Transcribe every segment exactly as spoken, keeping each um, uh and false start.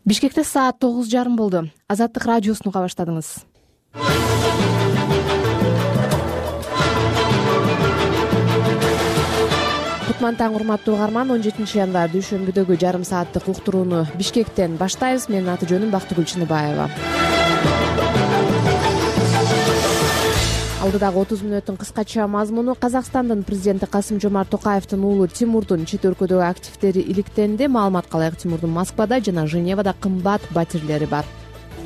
Бишкекте саат тогуз жарым болду. Азаттык радиосун уга баштадыңыз. Кутман таң, урматтуу угарман. он жетинчи январь дүйшөмбүдөгү жарым сааттык уктурууну Бишкектен баштайбыз. Менин аты жөнүм Бактыгүл Чыныбаева. Алдыдагы отуз мүнөттүн кыскача мазмуну: Казакстандын президенти Касым-Жомарт Токаевдин уулу Тимурдун чет өлкөдөгү активдери иликтенди. Маалыматка ылайык, Тимурдун Москвада жана Женевада кымбат батирлери бар.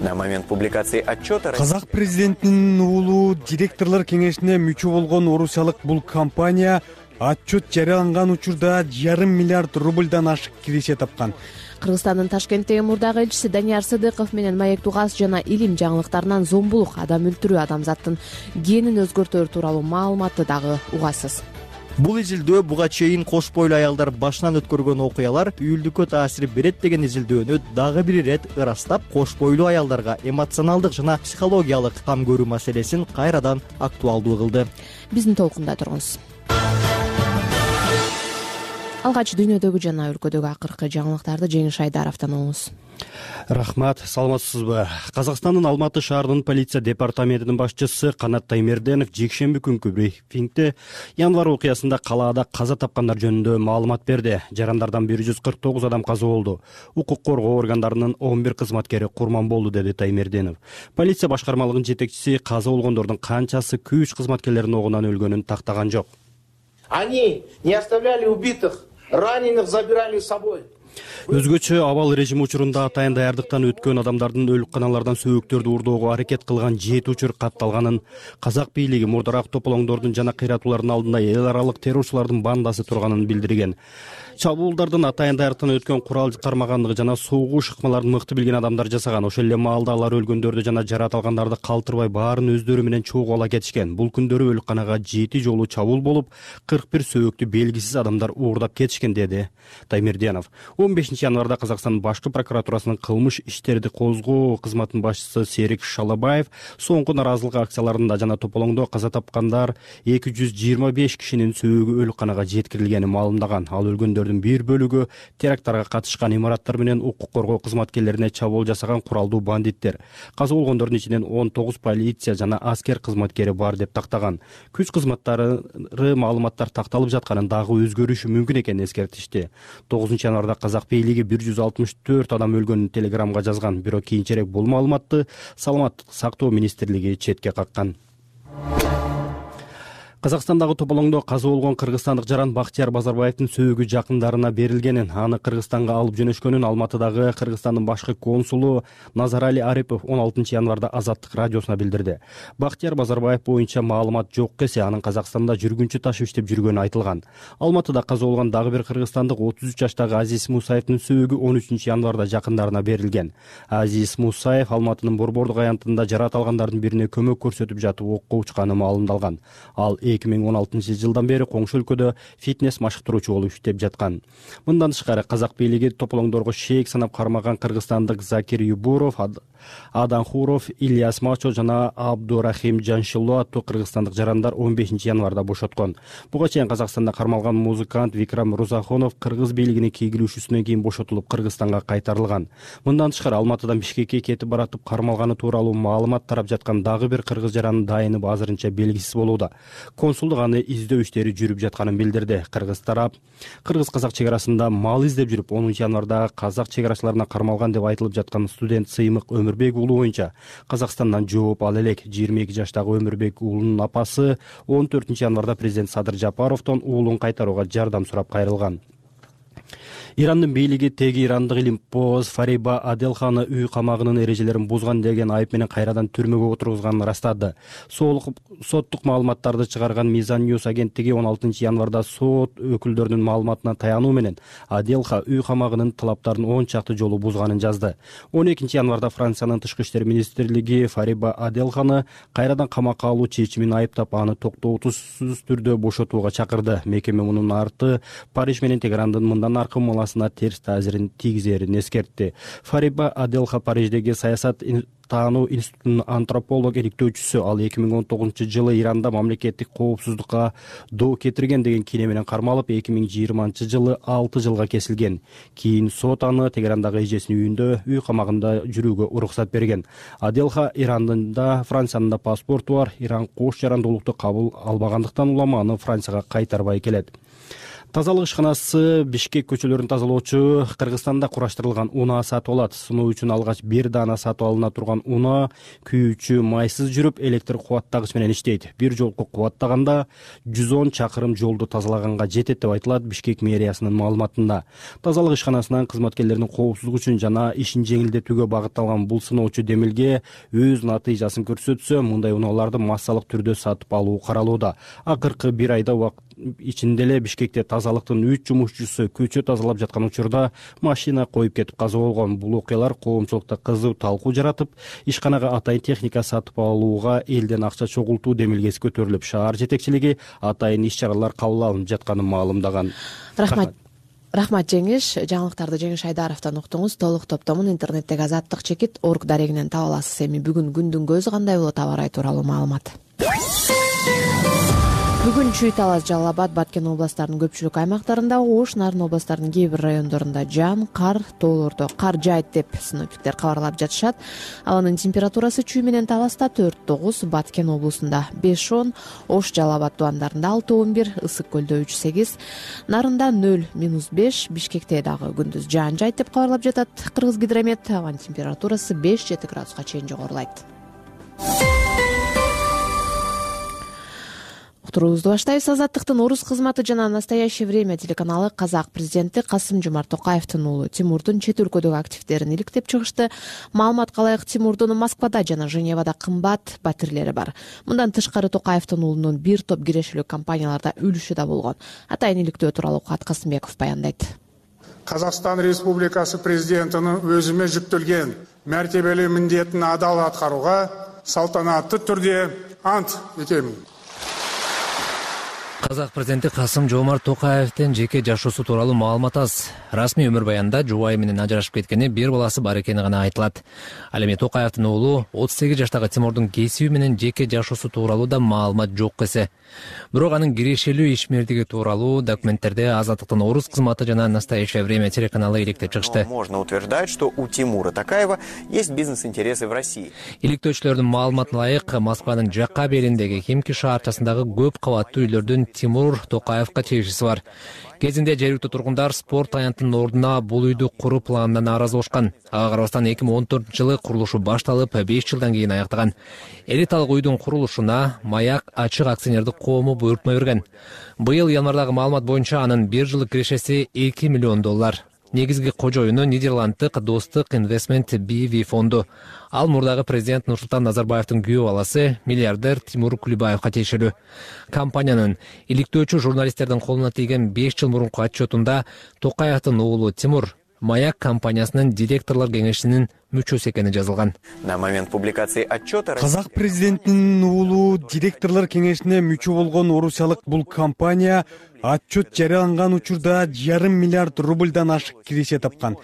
На момент публикации отчета Казак президентинин уулу директорлор кеңешине мүчө болгон орусиялык бул компания отчет жарыяланган учурда жарым миллиард рубльдан ашык киреше тапкан. Кыргызстандын Ташкенттеги мурдагы элчиси Данияр Сыдыков менен маек тугас жана илим жаңылыктарынан зомбулук, адам өлтүрүү, адамзаттын генин өзгөртөөр тууралуу маалыматты дагы угасыз. Бул изилдөө буга чейин кош бойлуу аялдар башынан өткөргөн окуялар үйүлдүккө таасир берет деген изилдөөнү дагы бир ирет ырастап, кош бойлуу аялдарга эмоционалдык жана психологиялык там көрүү маселесин кайрадан актуалдуу кылды. Биздин толкунда туруңуз. Алгач дүйнөдөгү жана өлкөдөгү акыркы жаңылыктарды Жеңиш Айдаровдон алыңыз. Рахмат, саламатсызбы? Казакстандын Алматы шаарынын полиция департаментинин башчысы Канат Таймерденов жекшемби күнкү брифингде январь окуясында калаада каза тапкандар жөнүндө маалымат берди. Жарандардан бир жүз кырк тогуз адам каза болду. Укук коргоо органдарынын он бир кызматкери курман болду, деди Таймерденов. Полиция башкармалыгынын жетекчиси каза болгондордун канчасы күч кызматкерлеринин огунан өлгөнүн тактаган жок. Они не оставляли убитых, раненых забирали с собой. Өзгөчө абал режими учурунда атайын даярдыктан өткөн адамдардын өлүкканалардан сөөктөрдү урдоого аракет кылган жети учур катталганын, казак бийлиги мурдараак тополоңдордун жана кыйратуулардын алдында эл аралык террорчулардын бандасы турганын билдирген. Чабуулдардын атайын даярдыктан өткөн курал кармагандыгы жана согуш ыкмаларын мыкты билген адамдар жасаган. Ошол эле маалда алар өлгөндөрдү жана жарат алгандарды калтырбай баарын өздөрү менен чогуу ала кетишкен. Бул күндөрү өлүкканага жети жолу чабуул болуп, кырк бир сөөктү белгисиз адамдар уурдап кетишкен, деди Таймерденов. он бешинчи январда Казакстандын башкы прокуратурасынын кылмыш иштерди козгоо кызматынын башчысы Серик Шалабаев соңку наразылык акцияларында жана тополоңдо каза тапкандар эки жүз жыйырма беш кишинин сөөгү өлүкканага жеткирилгенин маалымдаган. Ал өлгөндөрдүн бир бөлүгү теракттарга катышкан имараттар менен укук коргоо кызматкерлерине чабуул жасаган куралдуу бандиттер. Каза болгондордун ичинен он тогуз полиция жана аскер кызматкери бар деп тактаган. Күч кызматтары маалыматтар такталып жатканын дагы өзгөрүшү мүмкүн экенин эскертишти. тогузунчу январда казак бийлиги бир жүз алтымыш төрт адам өлгөнүн телеграмга жазган, бирок кийинчерээк бул маалыматты Саламаттык сактоо министрлиги четке каккан. Казакстандагы тополоңдо каза болгон кыргызстандык жаран Бактияр Базарбаевдин сөөгү жакындарына берилгенин, аны Кыргызстанга алып жөнөшкөнүн Алматыдагы Кыргызстандын башкы консулу Назарали Арипов он алтынчы январда Азаттык радиосуна билдирди. Бактияр Базарбаев боюнча маалымат жок десе, анын Казакстанда жүргүнчү ташып иштеп жүргөнү айтылган. Алматыда каза болгон дагы бир кыргызстандык отуз үч жаштагы Азиз Мусаевдин сөөгү он үчүнчү январда жакындарына берилген. Азиз Мусаев Алматынын Борбордук аянтында жарат алгандардын бирине көмөк көрсөтүп жатып окко учканы маалымдалган. Ал эки миң он алтынчы жылдан бери коңшу өлкөдө фитнес машыктыруучу болуп иштеп жаткан. Мындан тышкары казак бийлиги тополоңдорго шеек санап кармаган кыргызстандык Закир Юбуров, Адан Хуров, Ильяс Мачо жана Абдурахим Жаншило аттуу кыргызстандык жарандар он бешинчи январда бошоткон. Буга чейин Казакстанда кармалган музыкант Викрам Рузахонов кыргыз бийлигинин кийгилишүүсүнөн кийин бошотулуп Кыргызстанга кайтарылган. Мындан тышкары Алматыдан Бишкекке кетип баратып кармалганы тууралуу маалымат тарап жаткан дагы бир кыргыз жаранын дайыны азырынча белгисиз болууда. Консулдук аны издөө иштери жүрүп жатканын билдирди. Кыргыз тарап кыргыз-казак чек арасында мал издеп жүрүп, онунчу январда казак чек арачыларына кармалган деп айтылып жаткан студент Сыймык Өмүрбек уулу боюнча Казакстандан жооп ала элек. жыйырма эки жаштагы Өмүрбек уулунун апасы он төртүнчү январда президент Садыр Жапаровдон уулун кайтарууга жардам сурап кайрылган. Ирандын бийлиги теги ирандык илимпоз Фариба Аделханы үй камагынын эрежелерин бузган деген айып менен кайрадан түрмөгө отургузганын ырастады. Соттук маалыматтарды чыгарган Мизан Ньюс агенттиги он алтынчы январда сот өкүлдөрүнүн маалыматына таянуу менен Аделха үй камагынын талаптарын он чакты жолу бузганын жазды. он экинчи январда Франциянын тышкы иштер министрлиги Фариба Аделханы кайрадан камакка алуу чечимин айыптап, аны токтоотусуз түрдө бошотууга чакырды. Мекеме мунун арты Париж менен Тегерандын мындан аркы саясатчанасына терс таасирин тийгизерин эскертти. Фариба Аделха Париждеги саясат таануу институтунун антрополог иликтөөчүсү. Ал эки миң он тогузунчу жылы Иранда мамлекеттик коопсуздукка доо кетирген деген кийне менен кармалып, эки миң жыйырманчы жылы алты жылга кесилген. Кийин сот аны Тегерандагы эжесинин үйүндө үй камагында жүрүүгө уруксат берген. Аделха Ирандын да, Франциянын да паспорту бар. Иран кош жарандуулукту кабыл албагандыктан улама аны Францияга кайтарбай келет. Тазалык ишканасы Бишкек көчөлөрүн тазалоочу Кыргызстанда кураштырылган унаа сатып алат. Сыноо үчүн алгач бир даана сатып алына турган унаа күйүүчү майсыз жүрүп, электр кубаттагыч менен иштейт. Бир жолку кубаттаганда жүз он чакырым жолду тазалаганга жетет деп айтылат Бишкек мэриясынын маалыматында. Тазалык ишканасынын кызматкерлеринин коопсуздугу үчүн жана ишин жеңилдетүүгө багытталган бул сыноочу демилге өз натыйжасын көрсөтсө, мындай унааларды массалык түрдө сатып алуу каралууда. Акыркы бир айда убакыт ичинде эле Бишкекте тазалыктын үч жумушчусу көчө тазалап жаткан учурда машина коюп кетип каза болгон. Бул окуялар коомчулукта кызуу талкуу жаратып, ишканага атайын техника сатып алууга элден акча чогултуу демилгеси көтөрүлүп, шаар жетекчилиги атайын иш-чаралар кабыл алынып жатканын маалымдаган. Рахмат. Рахмат Жеңиш. Жаңылыктарды Жеңиш Айдаровдон уктуңуз. Толук топтомун интернеттеги азаттык чекит орг дарегинен таба аласыз. Эми бүгүн күндүн көзү кандай болот, аба ырайы тууралуу маалымат. Бүгүн Чүй, Талас, Жалал Абад, Баткен областарынын көпчүлүк аймактарында, Ош, Нарын областарынын кээ бир райондорунда жаан, кар, тоолордо кар жаайт деп синоптиктер кабарлап жатышат. Абанын температурасы Чүй менен Таласта төрт тогуз, Баткен облусунда беш он, Ош, Жалал Абад тубандарында алты он бир, Ысык көлдө үч сегиз, Нарында нөл минус беш, Бишкекте дагы күндүз жаан жаайт деп кабарлап жатат Кыргызгидромет. Абанын температурасы беш жети градуска чейин жогорулайт. Уктуруубузду баштайбыз. Азаттыктын орус кызматы жана Настоящее время телеканалы казак президенти Касым-Жомарт Токаевдин уулу Тимурдун чет өлкөдөгү активдерин иликтеп чыгышты. Маалыматка ылайык, Тимурдун Москвада жана Женевада кымбат батирлери бар. Мындан тышкары Токаевдин уулунун бир топ кирешелүү компанияларда үлүшү да болгон. Атайын иликтөө тууралуу Кубат Касымбеков баяндайт. Казакстан Республикасы президентинин өзүмө жүктөлгөн мәртебелүү міндетін адал аткарууга салтанатты түрдө ант этем. Казак президенти Касым-Жомарт Токаевдин жеке жашоосу тууралуу маалымат аз. Расмий өмүр баянында жубайы менен ажырашып кеткени, бир баласы бар экени гана айтылат. Ал эми Токаевдин уулу отуз сегиз жаштагы Тимурдун кесиби менен жеке жашоосу тууралуу да маалымат жок эсе. Бирок анын кирешелүү ишмердиги тууралуу документтерди Азаттыктын орус кызматы жана Настоящее время телеканалы иликтеп чыгышты. Можно утверждать, что у Тимура Токаева есть бизнес-интересы в России. Иликтөөчүлөрдүн маалыматына ылайык, Москванын жакка бериндеги Химки шаарчасындагы көп кабаттуу үйлөрдүн Тимур Токаевга тиешеси бар. Кезинде жергиликтүү тургундар спорт аянтынын ордуна бул үйдү куруу планынан нааразы болушкан. Ага карабастан эки миң он төртүнчү жылы курулушу башталып, беш жылдан кийин аяктаган. Элиталык үйдүн курулушуна Маяк ачык акционердик коому буйрутма берген. Быйыл январдагы маалымат боюнча анын бир жылдык кирешеси эки миллион доллар. Негизги кожоюну Нидерланддык Достук Инвестмент би ви фонду. Ал мурдагы президент Нурсултан Назарбаевдин күйөө баласы миллиардер Тимур Кулибаевга тиешелүү. Компаниянын иликтөөчү журналисттердин колуна тийген беш жыл мурунку отчетунда Токаевдин уулу Тимур Маяк компаниясынын директорлор кеңешинин мүчөсү экени жазылган. На момент публикации отчета Казак президентинин уулу директорлор кеңешине мүчө болгон орусиялык бул компания отчет жарыяланган учурда жарым миллиард рубльдан ашык киреше тапкан.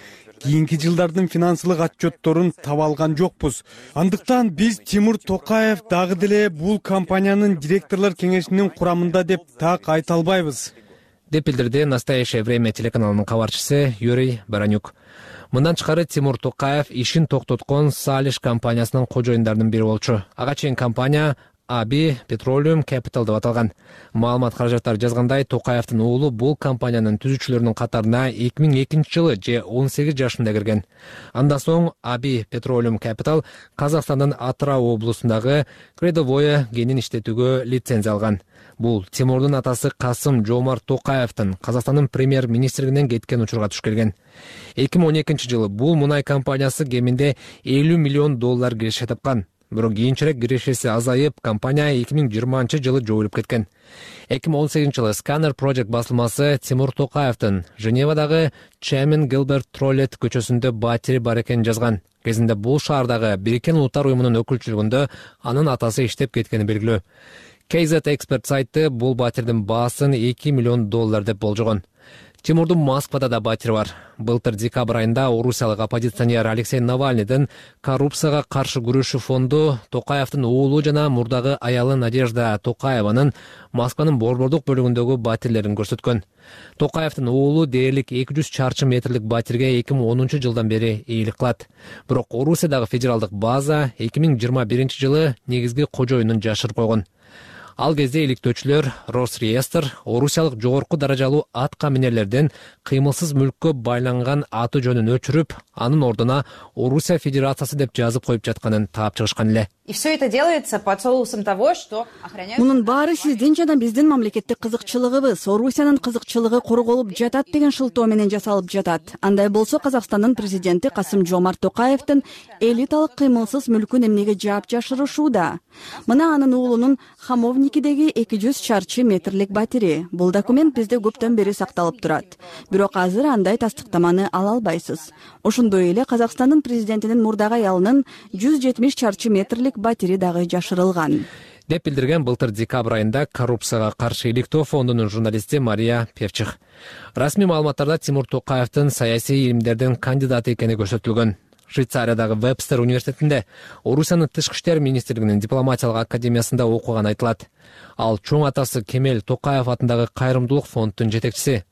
Кийинки жылдардын финансылык отчетторун таба алган жокпуз. Андыктан биз Тимур Токаев дагы деле бул компаниянын директорлор кеңешинин курамында деп так айта албайбыз, деп билдирди Настоящее время телеканалынын кабарчысы Юрий Баранюк. Мындан тышкары Тимур Токаев ишин токтоткон Салиш компаниясынын кожоюндарынын бири болчу. Ага чейин компания Аби Petroleum Capital деп аталган. Маалымат каражаттары жазгандай, Токаевдин уулу бул компаниянын түзүүчүлөрүнүн катарына эки миң экинчи жылы же он сегиз жашында кирген. Андан соң Аби Petroleum Capital Казакстандын Атырау облусундагы Кредовое кенин иштетүүгө лицензия алган. Бул Тимурдун атасы Касым-Жомарт Токаевдин Казакстандын премьер-министрлигинен кеткен учурга туш келген. эки миң он экинчи жылы бул мунай компаниясы кеминде элүү миллион доллар киреше тапкан. Бирок кийинчерээк кирешеси азайып, компания эки миң жыйырманчы жылы жоюлуп кеткен. эки миң он сегизинчи жылы Scanner Project басылмасы Тимур Токаевдин Женевадагы Чемин Гилберт Троллет көчөсүндө батири бар экенин жазган. Кезинде бул шаардагы Бириккен Улуттар уюмунун өкүлчүлүгүндө анын атасы иштеп кеткени белгилүү. кей зет Expert сайты бул батирдин баасын эки миллион доллар деп болжогон. Тимурдун Москвада да батири бар. Былтыр декабрь айында орусиялык оппозиционер Алексей Навальныйдын коррупцияга каршы күрөшүү фонду Токаевдин уулу жана мурдагы аялы Надежда Токаеванын Москванын борбордук бөлүгүндөгү батирлерин көрсөткөн. Токаевдин уулу дээрлик эки жүз чарчы метрлик батирге эки миң онунчу жылдан бери ээлик кылат. Бирок Орусиядагы федералдык база эки миң жыйырма биринчи жылы негизги кожоюнун жашырып койгон. Ал кезде иликтөөчүлөр Росреестр орусиялык жогорку даражалуу атка минерлерден кыймылсыз мүлккө байланган аты жөнүн өчүрүп, анын ордуна Орусия Федерациясы деп жазып коюп жатканын таап чыгышкан эле. И все это делается под соусом того, что охраняют... Мунун баары сиздин жана биздин мамлекеттик кызыкчылыгыбыз, Орусиянын кызыкчылыгы корголуп жатат деген шылтоо менен жасалып жатат. Андай болсо Казакстандын президенти Касым-Жомарт Токаевдин элиталык кыймылсыз мүлкүн эмнеге жаап жашырышууда? Мына анын уулунун Хамовникидеги эки жүз чарчы метрлик батири. Бул документ бизде көптөн бери сакталып турат. Бирок азыр андай тастыктаманы ала албайсыз. Ошондой эле Казакстандын президентинин мурдагы аялынын жүз жетимиш чарчы метрлик батири дагы жашырылган, деп билдирген былтыр декабрь айында коррупцияга каршы иликтөө фондунун журналисти Мария Певчих. Расмий маалыматтарда Тимур Токаевдин саясий илимдердин кандидаты экени көрсөтүлгөн. Швейцариядагы Вебстер университетинде Орусиянын тышкы иштер министрлигинин дипломатиялык академиясында окуган айтылат. Ал чоң атасы Кемел Токаев атындагы кайрымдуулук фонддун жетекчиси.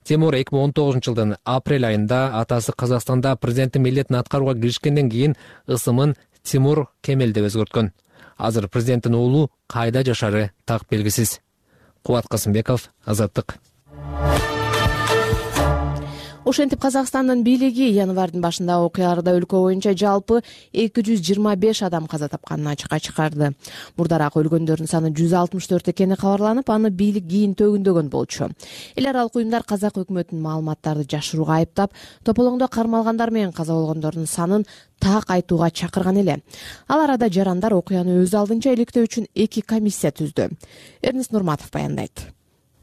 Тимур эки миң он тогузунчу жылдын апрель айында атасы Казакстанда президенттин милдетин аткарууга киришкенден кийин ысымын Тимур Кемел деп өзгөрткөн. Азыр президенттин уулу кайда жашары так белгисиз. Кубат Касымбеков, Азаттык. Ошентип Казакстандын бийлиги январдын башында окуяларда өлкө боюнча жалпы эки жүз жыйырма беш адам каза тапканын ачыкка чыгарды. Мурдараак өлгөндөрдүн саны жүз алтымыш төрт экени кабарланып, аны бийлик кийин төгүндөгөн болчу. Эл аралык уюмдар казак өкмөтүнүн маалыматтарды жашырууга айыптап, тополоңдо кармалгандар менен каза болгондордун санын так айтууга чакырган эле. Ал арада жарандар окуяны өз алдынча иликтөө үчүн эки комиссия түздү. Эрнест Нурматов баяндайт.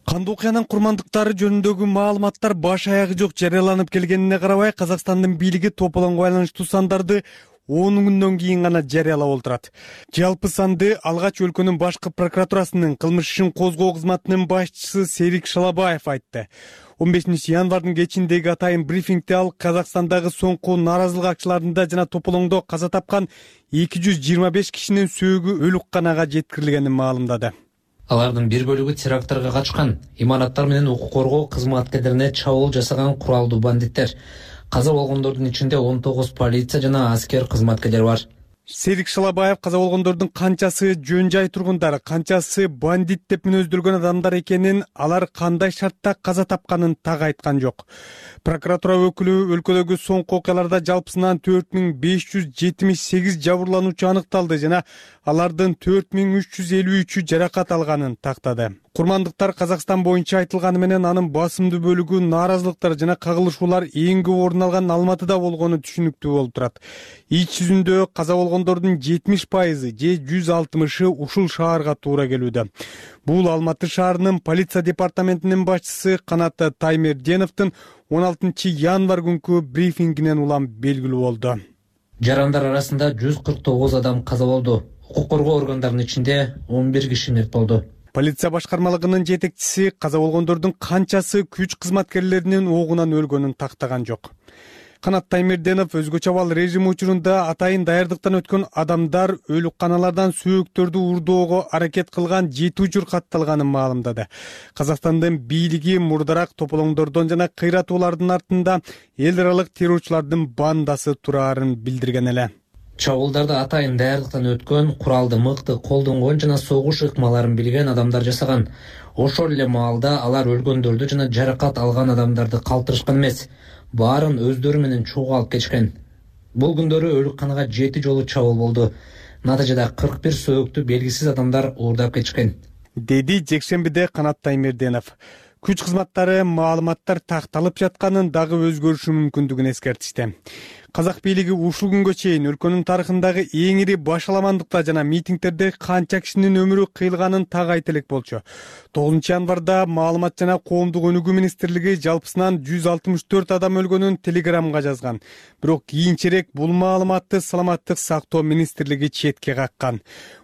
Кандуу окуянын курмандыктары жөнүндөгү маалыматтар баш аягы жок жарыяланып келгенине карабай, Казакстандын бийлиги тополоңго байланыштуу сандарды он күндөн кийин гана жарыялап олтурат. Жалпы санды алгач өлкөнүн башкы прокуратурасынын кылмыш ишин козгоо кызматынын башчысы Серик Шалабаев айтты. он бешинчи январдын кечиндеги атайын брифингде ал Казакстандагы соңку нааразылык акчыларында жана тополоңдо каза тапкан эки жүз жыйырма беш кишинин сөөгү өлүкканага жеткирилгенин маалымдады. Алардын бир бөлүгү терактарга катышкан, имараттар менен укук коргоо кызматкерлерине чабуул жасаган куралдуу бандиттер. Каза болгондордун ичинде он тогуз полиция жана аскер кызматкерлери бар. Серик Шалабаев каза болгондордун канчасы жөн жай тургундар, канчасы бандит деп мүнөздөлгөн адамдар экенин, алар кандай шартта каза тапканын так айткан жок. Прокуратура өкүлү өлкөдөгү соңку окуяларда жалпысынан төрт миң беш жүз жетимиш сегиз жабырлануучу аныкталды жана алардын төрт миң үч жүз элүү үчү жаракат алганын тактады. Курмандыктар Казакстан боюнча айтылганы менен анын басымдуу бөлүгү нааразылыктар жана кагылышуулар эң көп орун алган Алматыда болгону түшүнүктүү болуп турат. Ич жүзүндө каза болгондордун жетимиш пайызы же жүз алтымышы ушул шаарга туура келүүдө. Бул Алматы шаарынын полиция департаментинин башчысы Канат Таймерденовдун он алтынчы январь күнкү брифингинен улам белгилүү болду. Жарандар арасында жүз кырк тогуз адам каза болду. Укук коргоо органдарынын ичинде он бир киши мерт болду. Полиция башкармалыгынын жетекчиси каза болгондордун канчасы күч кызматкерлеринин оогунан өлгөнүн тактаган жок. Канат Таймерденов өзгөчө абал режим учурунда атайын даярдыктан өткөн адамдар өлүкканалардан сөөктөрдү урдоого аракет кылган жети учур катталганын маалымдады. Казакстандын бийлиги мурдараак тополоңдордон жана кыйратуулардын артында эл аралык террорчулардын бандасы турарын билдирген эле. Чабуулдарды атайын даярдыктан өткөн, куралды мыкты колдонгон жана согуш ыкмаларын билген адамдар жасаган. Ошол эле маалда алар өлгөндөрдү жана жаракат алган адамдарды калтырышкан эмес, баарын өздөрү менен чогуу алып кетишкен. Бул күндөрү өлүкканага жети жолу чабуул болду. Натыйжада кырк бир сөөктү белгисиз адамдар уурдап кетишкен, деди жекшембиде Канат Таймерденов. Күч кызматтары маалыматтар такталып жатканын дагы өзгөрүшү мүмкүндүгүн эскертишти. Казак бийлиги ушул күнгө чейин өлкөнүн тарыхындагы эң ири башаламандыкта жана митингдерде канча кишинин өмүрү кыйылганын так айта элек болчу. тогузунчу январда маалымат жана коомдук өнүгүү министрлиги жалпысынан жүз алтымыш төрт адам өлгөнүн телеграмга жазган. Бирок кийинчерээк бул маалыматты Саламаттык сактоо министрлиги четке каккан.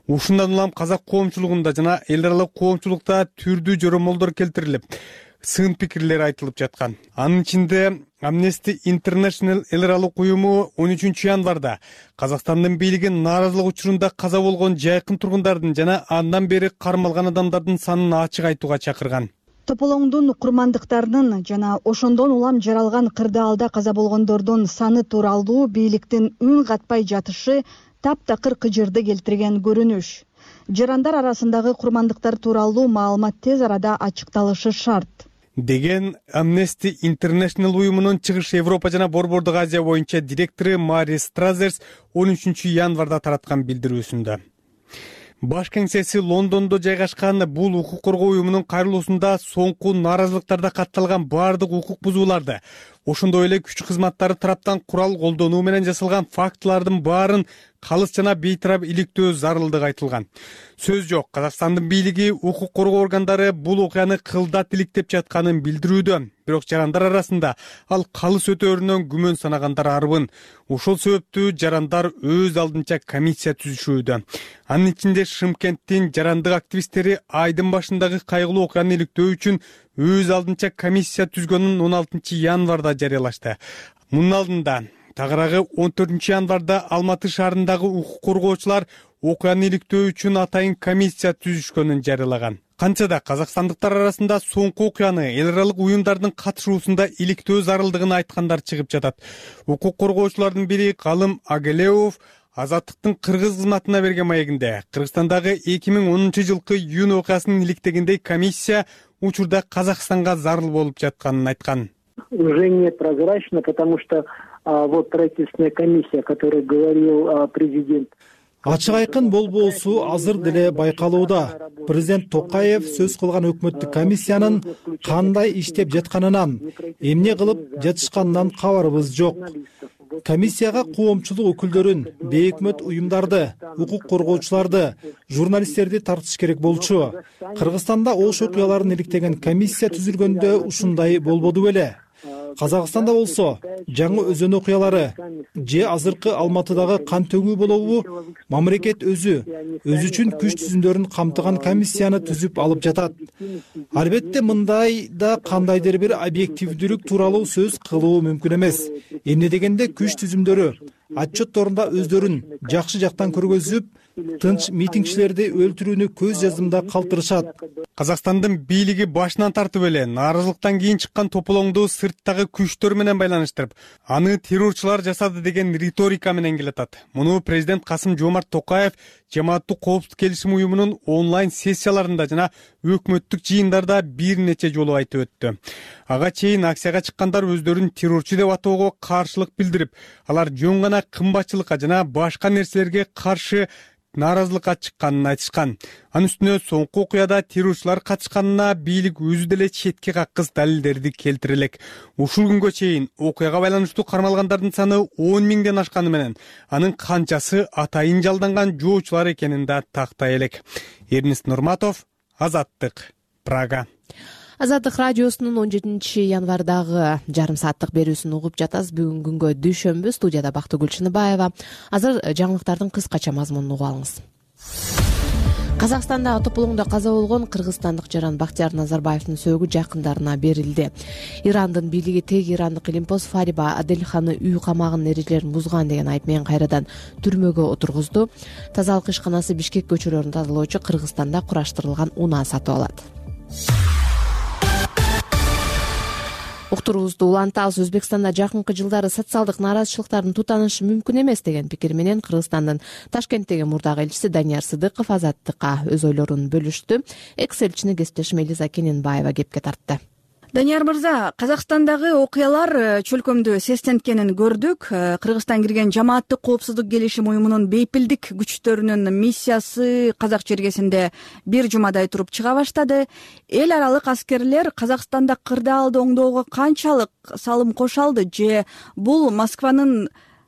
Ушундан улам казак коомчулугунда жана эл аралык коомчулукта түрдүү жоромолдор келтирилип, сын пикирлер айтылып жаткан. Анын ичинде Amnesty International эл аралык уюму он үчүнчү январда Казакстандын бийлиги нааразылык учурунда каза болгон жайкын тургундардын жана андан бери кармалган адамдардын санын ачык айтууга чакырган. Тополоңдун курмандыктарынын жана ошондон улам жаралган кырдаалда каза болгондордун саны тууралуу бийликтин үн катпай жатышы таптакыр кыжырды келтирген көрүнүш. Жарандар арасындагы курмандыктар тууралуу маалымат тез арада ачыкталышы шарт деген Amnesty International уюмунун Чыгыш Европа жана Борбордук Азия боюнча директору Мари Стразерс он үчүнчү январда тараткан билдирүүсүндө. Баш кеңсеси Лондондо жайгашкан бул укук коргоо уюмунун кайрылуусунда соңку нааразылыктарда катталган баардык укук бузууларды, ошондой эле күч кызматтары тараптан курал колдонуу менен жасалган фактылардын баарын калыс жана бейтарап иликтөө зарылдыгы айтылган. Сөз жок, Казакстандын бийлиги укук коргоо органдары бул окуяны кылдат иликтеп жатканын билдирүүдө. Бирок жарандар арасында ал калыс өтөөрүнөн күмөн санагандар арбын. Ошол себептүү жарандар өз алдынча комиссия түзүшүүдө. Анын ичинде Шымкенттин жарандык активисттери айдын башындагы кайгылуу окуяны иликтөө үчүн өз алдынча комиссия түзгөнүн он алтынчы январда жарыялашты. Мунун алдында тагыраагы он төртүнчү январда Алматы шаарындагы укук коргоочулар окуяны иликтөө үчүн атайын комиссия түзүшкөнүн жарыялаган. Канча да казакстандыктар арасында соңку окуяны эл аралык уюмдардын катышуусунда иликтөө зарылдыгын айткандар чыгып жатат. Укук коргоочулардын бири Калым Агелеов Азаттыктын кыргыз кызматына берген маегинде Кыргызстандагы эки миң онунчу жылкы июнь окуясынын иликтегендей комиссия учурда Казакстанга зарыл болуп жатканын айткан. Уже не прозрачно, потому что а, вот правительственная комиссия, о которой говорил а, президент. Ачык айкын болбоосу азыр деле байкалууда. Президент Токаев сөз кылган өкмөттүк комиссиянын кандай иштеп жатканынан, эмне кылып жатышканынан кабарыбыз жок. Комиссияга коомчулук өкүлдөрүн, бейөкмөт уюмдарды, укук коргоочуларды, журналисттерди тартыш керек болчу. Кыргызстанда ош окуяларын иликтеген комиссия түзүлгөндө ушундай болбоду беле. Казакстанда болсо жаңы өзөн окуялары же азыркы Алматыдагы кан төгүү болобу мамлекет өзү өз үчүн күч түзүмдөрүн камтыган комиссияны түзүп алып жатат. Албетте мындай да кандайдыр бир объективдүүлүк тууралуу сөз кылуу мүмкүн эмес. Эмне дегенде күч түзүмдөрү отчетторунда өздөрүн жакшы жактан көргөзүп, тынч митингчилерди өлтүрүүнү көз жаздымда калтырышат. Казакстандын бийлиги башынан тартып эле нааразылыктан кийин чыккан тополоңду сырттагы күчтөр менен байланыштырып, аны террорчулар жасады деген риторика менен келатат. Муну президент Касым Жомарт Токаев жамааттык коопсуздук келишим уюмунун онлайн сессияларында жана өкмөттүк жыйындарда бир нече жолу айтып өттү. Ага чейин акцияга чыккандар өздөрүн террорчу деп атоого каршылык билдирип, алар жөн гана кымбатчылыкка жана башка нерселерге каршы нааразылыкка чыкканын айтышкан. Анын үстүнө соңку окуяда террорчулар катышканына бийлик өзү деле четке каккыс далилдерди келтире элек. Ушул күнгө чейин окуяга байланыштуу кармалгандардын саны он миңден ашканы менен анын канчасы атайын жалданган жоочулар экенин да тактай элек. Эрнест Нурматов, Азаттык, Прага. Азаттык радиосунун он жетинчи январдагы жарым сааттык берүүсүн угуп жатасыз. Бүгүн күнгө дүйшөмбү, студияда Бактыгүл Чыныбаева. Азыр жаңылыктардын кыскача мазмунун угуп алыңыз. Казакстанда тополоңдо каза болгон кыргызстандык жаран Бактияр Назарбаевдин сөөгү жакындарына берилди. Ирандын бийлиги тег ирандык илимпоз Фариба Аделханы үй камагынын эрежелерин бузган деген айып менен кайрадан түрмөгө отургузду. Тазалык ишканасы Бишкек көчөлөрүн тазалоочу Кыргызстанда кураштырылган унаа сатып алат. Уктуруубузду улантабыз. Өзбекстанда жакынкы жылдары социалдык нааразычылыктардын тутанышы мүмкүн эмес деген пикир менен Кыргызстандын Ташкенттеги мурдагы элчиси Данияр Сыдыков Азаттыкка өз ойлорун бөлүштү. Экс-элчини кесиптешим Элиза Кененбаева кепке тартты. Данияр мырза, Казакстандагы окуялар чөлкөмдө сестенткенин көрдүк. Кыргызстан кирген жамааттык коопсуздук келишим уюмунун бейпилдик күчтөрүнүн миссиясы казак чергесинде бир жумадай туруп чыга баштады. Эл аралык аскерлер Казакстанда кырдаалды оңдоого канчалык салым кошо алды же бул Москванын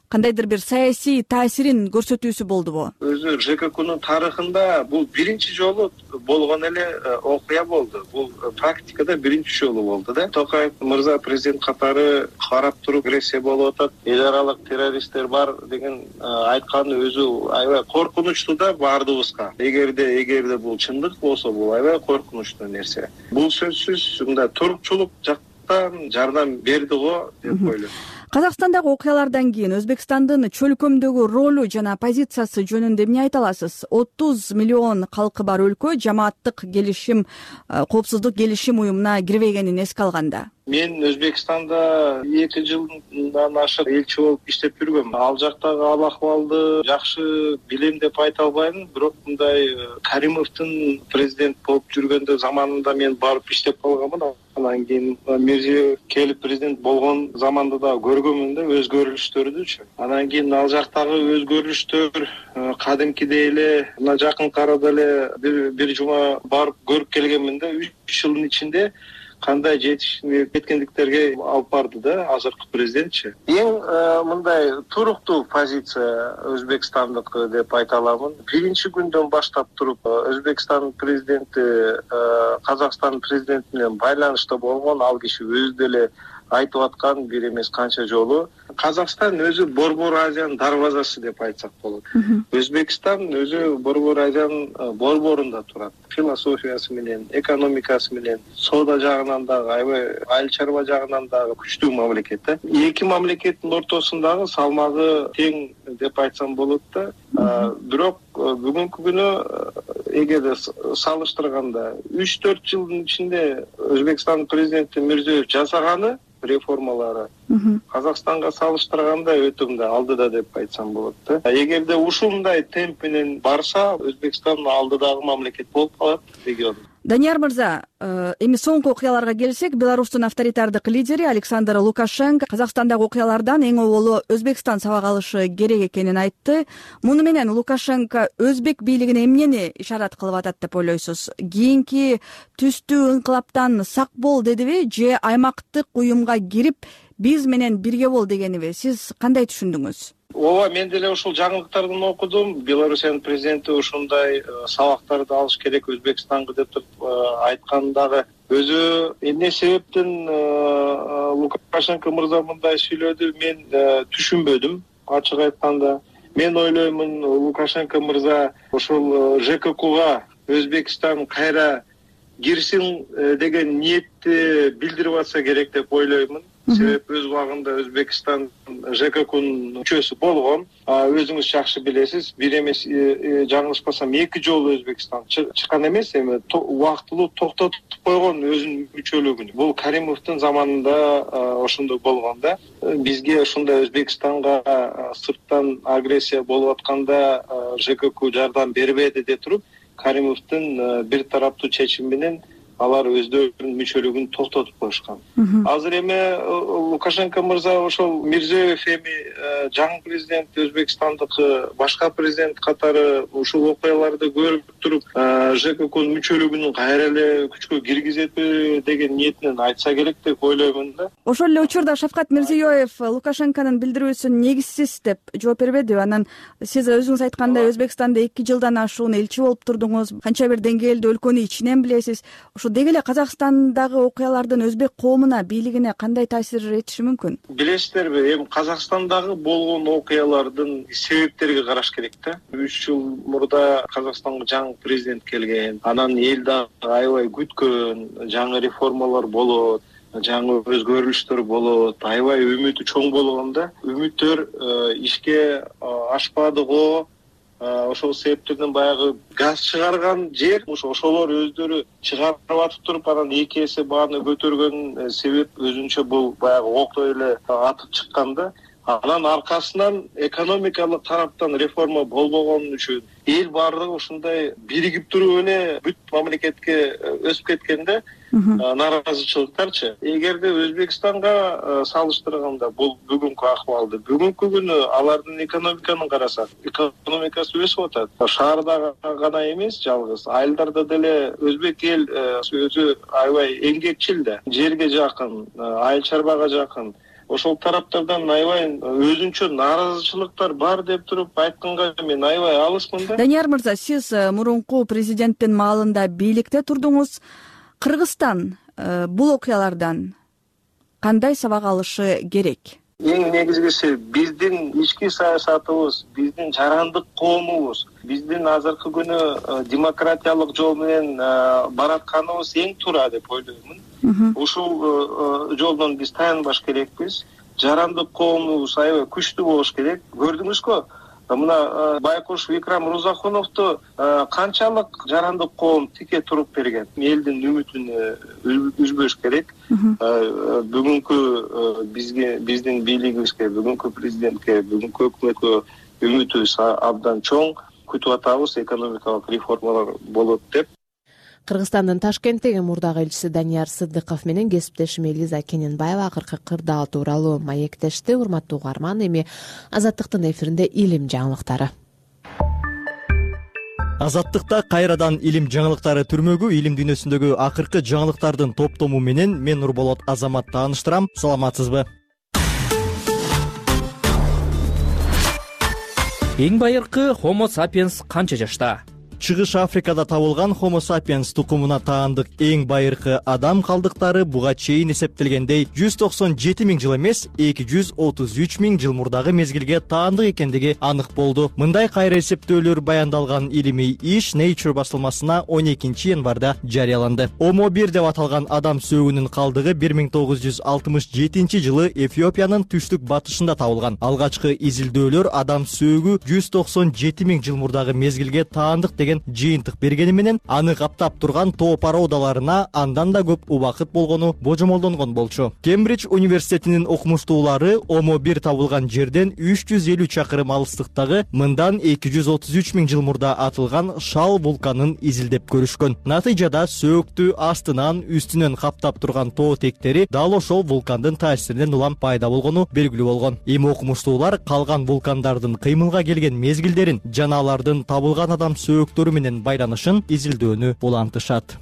кандайдыр бир саясий таасирин көрсөтүүсү болдубу? Өзү ЖККнын тарыхында бул биринчи жолу болгон эле окуя болду. Бул практикада биринчи жолу болду да. Токаев мырза президент катары карап туруп агрессия болуп атат, эл аралык террористтер бар деген айтканы өзү аябай коркунучтуу да баардыгыбызга. Эгерде эгерде бул чындык болсо, бул аябай коркунучтуу нерсе. Бул сөзсүз мындай турукчулук жактан жардам берди го деп ойлойм. Казакстандагы окуялардан кийин Өзбекстандын чөлкөмдөгү ролу жана позициясы жөнүндө эмне айта аласыз? отуз миллион калкы бар өлкө жамааттык келишим, коопсуздук келишим уюмуна кирбегенин эске алганда. Мен Өзбекстанда эки жылдан ашык элчи болуп иштеп жүргөм. Ал жактагы ал акыбалды жакшы билем деп айта албайм, бирок мындай Каримовдун президент болуп жүргөндө заманында мен барып иштеп калганмын. Андан кийин Мирзиёев келип президент болгон заманда да көргөнмүн да өзгөрүштөрдүчү. Андан кийин ал жактагы өзгөрүштөр кадимкидей эле мына жакынкы арада эле бир бир жума барып көрүп келгенмин да, үч жылдын ичинде кандай жетишип кеткендиктерге алып барды да азыркы президентчи. Эң мындай туруктуу позиция Өзбекстандыкы деп айта аламын. Биринчи күндөн баштап туруп Өзбекстандын президенти Казакстандын президенти менен байланышта болгон, ал киши өзү деле айтып аткан бир эмес канча жолу. Казакстан өзү Борбор Азиянын дарбазасы деп айтсак болот. Өзбекстан өзү Борбор Азиянын борборунда турат. Философиясы менен, экономикасы менен, соода жагынан дагы, аябай айыл чарба жагынан дагы күчтүү мамлекет. Эки мамлекеттин ортосундагы салмагы тең деп айтсам болот да. Бирок бүгүнкү күнү эгерде салыштырганда үч төрт жылдын ичинде Өзбекстандын президенти Мирзиёев жасаганы реформалары Казакстанга салыштырганда өтө мындай алдыда деп айтсам болот да. Эгерде ушундай темп менен барса, Өзбекстан алдыдагы мамлекет болуп калат регион. Данияр мырза, эми соңку окуяларга келсек, Беларустун авторитардык лидери Александр Лукашенко Казакстандагы окуялардан эң оболу Өзбекстан сабак алышы керек экенин айтты. Муну менен Лукашенко өзбек бийлигине эмнени ишарат кылып атат деп ойлойсуз? Кийинки түстүү инкылаптан сак бол дедиби же аймактык уюмга кирип биз менен бирге бол дегениби? Сиз кандай түшүндүңүз? Ооба, мен деле ушул жаңылыктардан окудум. Белоруссиянын президенти ушундай сабактарды алыш керек Өзбекстанга деп айткан дагы. Өзү эмне себептен Лукашенко мырза мындай сүйлөдү, мен түшүнбөдүм, ачык айтканда. Мен ойлоймун, Лукашенко мырза ушул ЖККга Өзбекстан кайра кирсин деген ниетти билдирип атса керек деп ойлоймун. Себеп өз убагында Өзбекстан ЖККнын мүчөсү болгон. Өзүңүз жакшы билесиз, бир эмес жаңылышпасам эки жолу Өзбекстан чыккан эмес, эми убактылуу токтотуп койгон өзүнүн мүчөлүгүн. Бул Каримовдун заманында ошондой болгон да. Бизге ушундай Өзбекстанга сырттан агрессия болуп атканда ЖКК жардам бербеди деп туруп, Каримовдун бир тараптуу чечими менен алар өздөрүнүн мүчөлүгүн токтотуп коюшкан. Азыр эми Лукашенко мырза ошол Мирзиёев эми жаңы президент Өзбекстандыкы башка президент катары ушул окуяларды көрүп туруп ЖККнын мүчөлүгүн кайра эле күчкө киргизеби деген ниетинен айтса керек деп ойлоймун да. Ошол эле учурда Шавкат Мирзиёев Лукашенконун билдирүүсүн негизсиз деп жооп бербедиби? Анан сиз өзүңүз айткандай Өзбекстанда эки жылдан ашуун элчи болуп турдуңуз, канча бир деңгээлде өлкөнү ичинен билесиз. Деги эле Казакстандагы окуялардын өзбек коомуна, бийлигине кандай таасир этиши мүмкүн? Билесиздерби, эми Казакстандагы болгон окуялардын себептерге караш керек да. үч жыл мурда Казакстанга жаңы президент келген, анан эл дагы аябай күткөн, жаңы реформалар болот, жаңы өзгөрүштөр болот, аябай үмүтү чоң болгондо, үмүттөр ишке ашпады го. Ошол себептерден баягы газ чыгарган жер, ошолор өздөрү чыгарып атып туруп, анан эки эсе бааны көтөргөн себеп өзүнчө бул баягы октой эле атып чыккан да. Анан аркасынан экономикалык тараптан реформа болбогон үчүн эл баардыгы ушундай биригип туруп эле бүт мамлекетке өсүп кеткенде нааразычылыктарчы. Эгерде Өзбекстанга салыштырганда бул бүгүнкү акыбалды, бүгүнкү күнү алардын экономиканы карасак, экономикасы өсүп атат. Шаарда гана эмес, жалгыз айылдарда деле өзбек эл өзү аябай эмгекчил да, жерге жакын, айыл чарбага жакын. ошол тараптардан аябай өзүнчө нааразычылыктар бар деп туруп айтканга мен аябай алысмын да. Данияр мырза, сиз мурунку президенттин маалында бийликте турдуңуз. Кыргызстан бул окуялардан кандай сабак алышы керек? Эң негизгиси биздин ички саясатыбыз, биздин жарандык коомубуз, биздин азыркы күнү демократиялык жол менен баратканыбыз эң туура деп ойлоймун. Ушул жолдон биз таянбаш керекпиз. Жарандык коомубуз аябай күчтүү болуш керек. Көрдүңүзбү? Мына Байкуш Викрам Рузахуновду канчалык жарандык коом тике туруп берген. Элдин үмүтүн үзбөш керек. Бүгүнкү бизге, биздин бийлигибизге, бүгүнкү президентке, бүгүнкү өкмөткө үмүтүбүз абдан чоң. Күтүп атабыз, экономикалык реформалар болот деп. Кыргызстандын Ташкенттеги мурдагы элчиси Данияр Сыдыков менен кесиптешим Элиза Кененбаева акыркы кырдаал тууралуу маектешти. Урматтуу угарман, эми Азаттыктын эфиринде илим жаңылыктары. Азаттыкта кайрадан илим жаңылыктары түрмөгү илим дүйнөсүндөгү акыркы жаңылыктардын топтому менен мен Нурболот Азамат тааныштырам. Саламатсызбы? Эң байыркы Homo sapiens канча жашта? Чыгыш Африкада табылган Homo sapiens тукумуна таандык эң байыркы адам калдыктары буга чейин эсептелгендей жүз токсон жети миң жыл эмес, эки жүз отуз үч миң жыл мурдагы мезгилге таандык экендиги анык болду. Мындай кайра эсептөөлөр баяндалган илимий иш Nature басылмасына он экинчи январда жарыяланды. Homo бир деп аталган адам сөөгүнүн калдыгы бир миң тогуз жүз алтымыш жетинчи жылы Эфиопиянын түштүк батышында табылган. Алгачкы изилдөөлөр адам сөөгү жүз токсон жети миң жыл мурдагы мезгилге таандык жыйынтык бергени менен аны каптап турган тоо породаларына андан да көп убакыт болгону божомолдонгон болчу. Кембридж университетинин окумуштуулары Homo бир табылган жерден үч жүз элүү чакырым алыстыктагы мындан эки жүз отуз үч миң жыл мурда атылган Шал вулканын изилдеп көрүшкөн. Натыйжада сөөктү астынан үстүнөн каптап турган тоо тектери дал ошол вулкандын таасиринен улам пайда болгону белгилүү болгон. Эми окумуштуулар калган вулкандардын кыймылга келген мезгилдерин жана алардын табылган адам сөөктөрү менен байланышын изилдөөнү улантышат.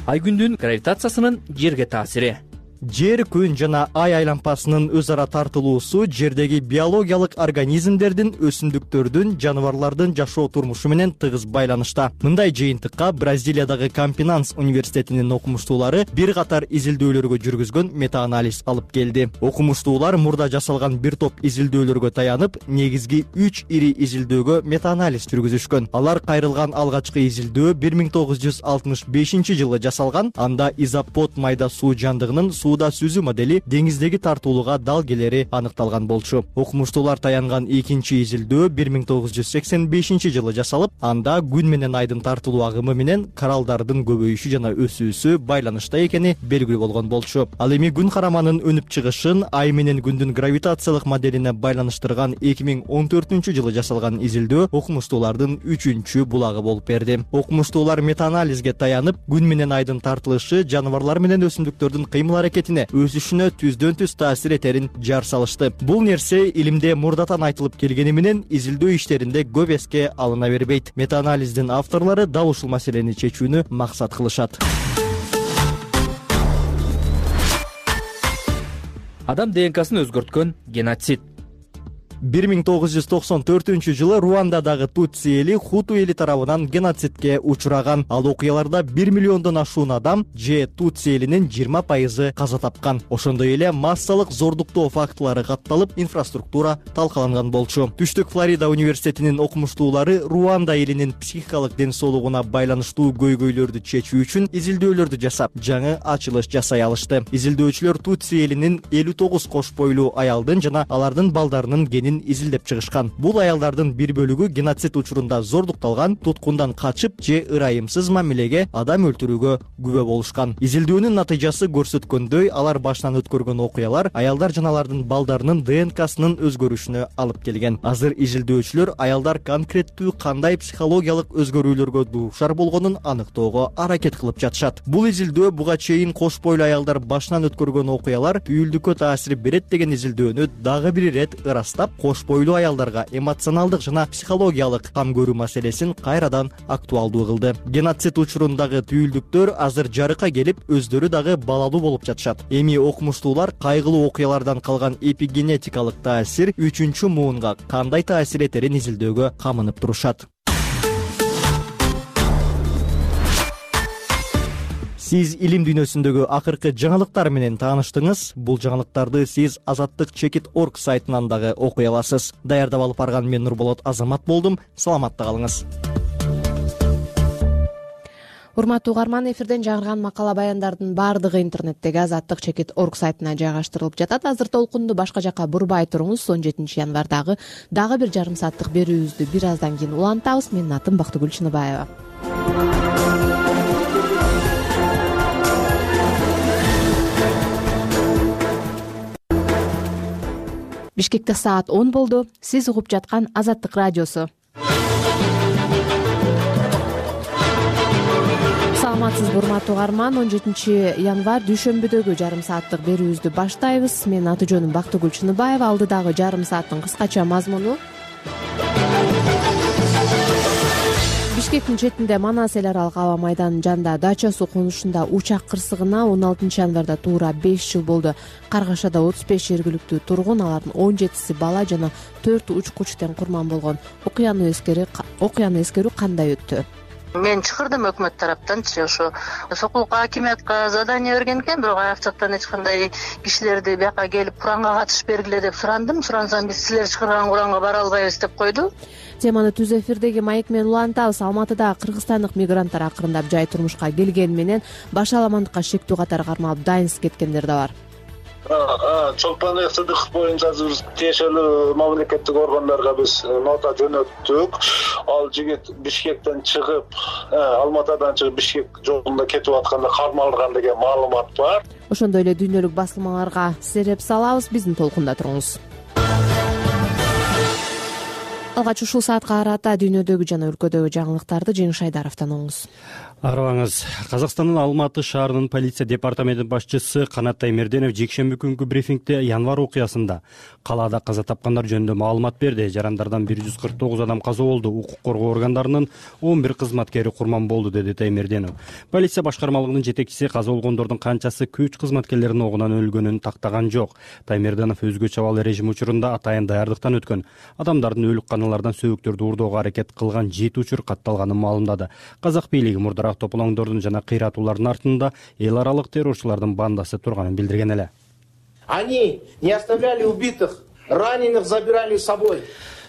Айгүндүн гравитациясынын жерге таасири. Жер, күн жана ай айланпасынын өз ара тартылуусу жердеги биологиялык организмдердин, өсүмдүктөрдүн, жаныбарлардын жашоо турмушу менен тыгыз байланышта. Мындай жыйынтыкка Бразилиядагы Кампинанс университетинин окумуштуулары бир катар изилдөөлөргө жүргүзгөн метаанализ алып келди. Окумуштуулар мурда жасалган бир топ изилдөөлөргө таянып, негизги үч ири изилдөөгө метаанализ жүргүзүшкөн. Алар кайрылган алгачкы изилдөө бир миң тогуз жүз алтымыш бешинчи жылы жасалган. Анда изопод майда суу жандыгынын сууда сүзүү модели деңиздеги тартуулууга дал келери аныкталган болчу. Окумуштуулар таянган экинчи изилдөө бир миң тогуз жүз сексен бешинчи жылы жасалып, анда күн менен айдын тартылуу агымы менен коралдардын көбөйүшү жана өсүүсү байланышта экени белгилүү болгон болчу. Ал эми күн караманын өнүп чыгышын ай менен күндүн гравитациялык моделине байланыштырган эки миң он төртүнчү жылы жасалган изилдөө окумуштуулардын үчүнчү булагы болуп берди. Окумуштуулар метаанализге таянып, күн менен айдын тартылышы жаныбарлар менен өсүмдүктөрдүн кыймыл аракетине, өсүшүнө түздөн түз таасир этерин жар салышты. Бул нерсе илимде мурдатан айтылып келгени менен изилдөө иштеринде көп эске алына бербейт. Метаанализдин авторлору дал ушул маселени чечүүнү максат кылышат. Адам ДНКсын өзгөрткөн геноцид. бир миң тогуз жүз токсон төртүнчү жылы Руандадагы Тутси эли Хуту эли тарабынан геноцидке учураган. Ал окуяларда бир миллиондон ашуун адам же Тутси элинин жыйырма пайызы каза тапкан. Ошондой эле массалык зордуктоо фактылары катталып, инфраструктура талкаланган болчу. Түштүк Флорида университетинин окумуштуулары Руанда элинин психикалык ден соолугуна байланыштуу көйгөйлөрдү чечүү үчүн изилдөөлөрдү жасап, жаңы ачылыш жасай алышты. Изилдөөчүлөр Тутси элинин элүү тогуз кош бойлуу аялдын жана алардын балдарынын генин изилдеп чыгышкан. Бул аялдардын бир бөлүгү геноцид учурунда зордукталган, туткундан качып же ырайымсыз мамилеге, адам өлтүрүүгө күбө болушкан. Изилдөөнүн натыйжасы көрсөткөндөй, алар башынан өткөргөн окуялар аялдар жана алардын балдарынын ДНКсынын өзгөрүшүнө алып келген. Азыр изилдөөчүлөр аялдар конкреттүү кандай психологиялык өзгөрүүлөргө дуушар болгонун аныктоого аракет кылып жатышат. Бул изилдөө буга чейин кош бойлуу аялдар башынан өткөргөн окуялар түйүлдүккө таасир берет деген изилдөөнү дагы бир ирет ырастап, кош бойлуу аялдарга эмоционалдык жана психологиялык кам көрүү маселесин кайрадан актуалдуу кылды. Геноцид учурундагы түйүлдүктөр азыр жарыкка келип, өздөрү дагы балалуу болуп жатышат. Эми окумуштуулар кайгылуу окуялардан калган эпигенетикалык таасир үчүнчү муунга кандай таасир этерин изилдөөгө камынып турушат. Сиз илим дүйнөсүндөгү акыркы жаңылыктар менен тааныштыңыз. Бул жаңылыктарды сиз азаттык чекит точка орг сайтынан дагы окуй аласыз. Даярдап алып барган мен Нурболот Азамат болдум. Саламатта калыңыз. Урматтуу угарман, эфирден жаңырган макала баяндардын баардыгы интернеттеги азаттык чекит точка орг сайтына жайгаштырылып жатат. Азыр толкунду башка жака бурбай туруңуз. он жетинчи январдагы дагы бир жарым сааттык берүүбүздү бир аздан кийин улантабыз. Менин атым Бактыгүл Чыныбаева. Бишкекте саат он болду. Сиз угуп жаткан Азаттык радиосу. Саламатсызбы урматтуу угарман, он жетинчи январь дүйшөмбүдөгү жарым сааттык берүүбүздү баштайбыз. Менин аты жөнүм Бактыгүл Чыныбаева. Алдыдагы жарым сааттын кыскача мазмуну: Бишкектин четинде Манас эл аралык аба майданынын жанында дача суу конушунда учак кырсыгына он алтынчы январда туура беш жыл болду. Каргашада отуз беш жергиликтүү тургун, алардын он жетиси бала жана төрт учкуч тең курман болгон. Окуяны окуяны эскерүү кандай өттү? Мен чакырдым өкмөт тараптанчы, ошо Сокулукка акимиятка задание берген экен, бирок аяктан эч кандай кишилерди бияка келип куранга катыш бергиле деп сурандым. Сурансам, биз силер чыгарган куранга бара албайбыз деп койду. Теманы түз эфирдеги маек менен улантабыз. Алматыда кыргызстандык мигранттар акырындап жай турмушка келгени менен баш аламандыкка шектүү катары кармалып дайынсыз кеткендер да бар. Чолпон Сыдыков боюнча бир тиешелүү мамлекеттик органдарга биз нота жөнөттүк. Ал жигит Бишкектен чыгып, Алматыдан чыгып Бишкек жолунда кетип атканда кармалган деген маалымат бар. Ошондой эле дүйнөлүк басылмаларга сереп салабыз. Биздин толкунда туруңуз. Алгач ушул саатка карата дүйнөдөгү жана өлкөдөгү жаңылыктарды Жеңиш Айдаровдон угуңуз. Арыбаңыз. Казакстандын Алматы шаарынын полиция департаментинин башчысы Канат Таймерденов жекшемби күнгү брифингде январь окуясында калаада каза тапкандар жөнүндө маалымат берди. Жарандардан бир жүз кырк тогуз адам каза болду. Укук коргоо органдарынын он бир кызматкери курман болду, деди Таймерденов. Полиция башкармалыгынын жетекчиси каза болгондордун канчасы күч кызматкерлеринин огунан өлгөнүн тактаган жок. Таймерденов өзгөчө абал режим учурунда атайын даярдыктан өткөн. Адамдардын өлүк каналардан сөөктөрдү уурдоого аракет кылган жети учур катталганын маалымдады. Казак бийлиги мурдараак тополоңдордун жана кыйратуулардын артында эл аралык террорчулардын бандасы турганын билдирген эле. Они не оставляли убитых, раненых забирали с собой.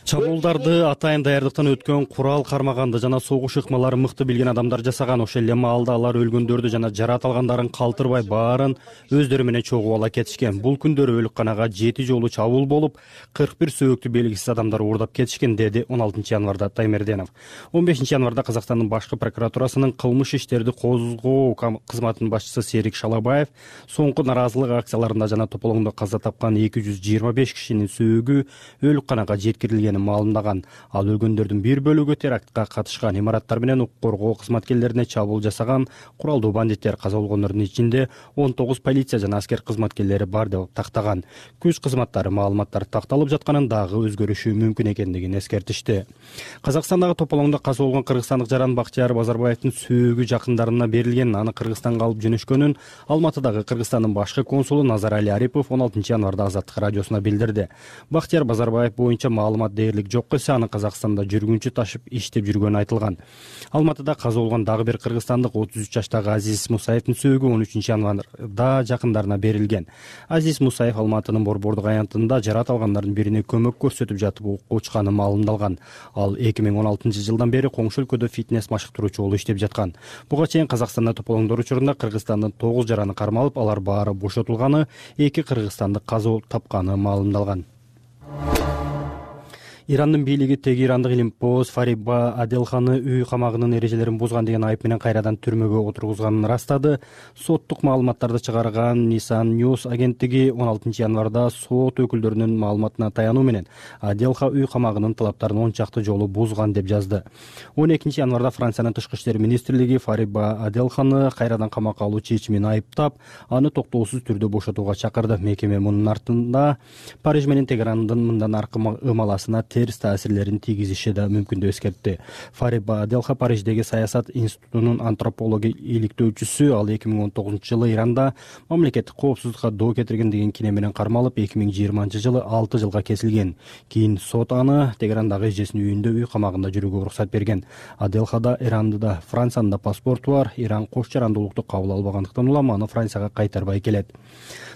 Чабуулдарды атайын даярдыктан өткөн, курал кармаганды жана согуш ыкмаларын мыкты билген адамдар жасаган. Ошол эле маалда алар өлгөндөрдү жана жарат алгандарын калтырбай баарын өздөрү менен чогуп ала кетишкен. Бул күндөрү өлүкканага жети жолу чабуул болуп, кырк бир сөөктү белгисиз адамдар уурдап кетишкен, деди он алтынчы январда Таймерденов. он бешинчи январда Казакстандын башкы прокуратурасынын кылмыш иштерди козгоо кызматынын башчысы Серик Шалабаев соңку наразылык акцияларында жана тополоңдо каза тапкан эки жүз жыйырма беш кишинин сөөгү өлүкканага жеткирилген маалымдаган. Ал өлгөндөрдүн бир бөлүгү терактка катышкан, имараттар менен укук коргоо кызматкерлерине чабуул жасаган куралдуу бандиттер. Каза болгондордун ичинде он тогуз полиция жана аскер кызматкерлери бар деп тактаган. Күч кызматтары маалыматтар такталып жатканын дагы өзгөрүшү мүмкүн экендигин эскертишти. Казакстандагы тополоңдо каза болгон кыргызстандык жаран Бактияр Базарбаевдин сөөгү жакындарына берилгенин, аны Кыргызстанга алып жөнөшкөнүн Алматыдагы Кыргызстандын башкы консулу Назарали Арипов он алтынчы январда Азаттык радиосуна билдирди. Бактияр Базарбаев боюнча маалымат дээрлик жок эсе, аны Казакстанда жүргүнчү ташып иштеп жүргөнү айтылган. Алматыда каза болгон дагы бир кыргызстандык отуз үч жаштагы Азиз Мусаевдин сөөгү он үчүнчү январда жакындарына берилген. Азиз Мусаев Алматынын Борбордук аянтында жарат алгандардын бирине көмөк көрсөтүп жатып укукка учканы маалымдалган. Ал эки миң он алтынчы жылдан бери коңшу өлкөдө фитнес машыктыруучу болуп иштеп жаткан. Буга чейин Казакстанда тополоңдор учурунда Кыргызстандын тогуз жараны кармалып, алар баары бошотулганы, эки кыргызстандык каза тапканы маалымдалган. Ирандын бийлиги Тегерандык илимпоз Фариба Аделханы үй камагынын эрежелерин бузган деген айып менен кайрадан түрмөгө отургузганын ырастады. Соттук маалыматтарды чыгарган Нисан News агенттиги он алтынчы январда сот өкүлдөрүнүн маалыматына таянуу менен Аделха үй камагынын талаптарын он чакты жолу бузган деп жазды. он экинчи январда Франциянын тышкы иштер министрлиги Фариба Аделханы кайрадан камакка алуу чечимин айыптап, аны токтоосуз түрдө бошотууга чакырды. Мекеме мунун артында Париж менен Тегерандын мындан аркы ымаласына терс таасирлерин тийгизиши да мүмкүн деп эскертти. Фариба Аделха Париждеги Саясат институтунун антропология иликтөөчүсү. Ал эки миң он тогузунчу жылы Иранда мамлекеттик коопсуздукка доо кетирген деген кине менен кармалып, эки миң жыйырманчы жылы алты жылга кесилген. Кийин сот аны Тегерандагы эжесинин үйүндө үй камагында жүрүүгө уруксат берген. Аделхада Иранды да Франциянын да паспорту бар. Иран кош жарандуулукту кабыл албагандыктан улам аны Францияга кайтарбай келет.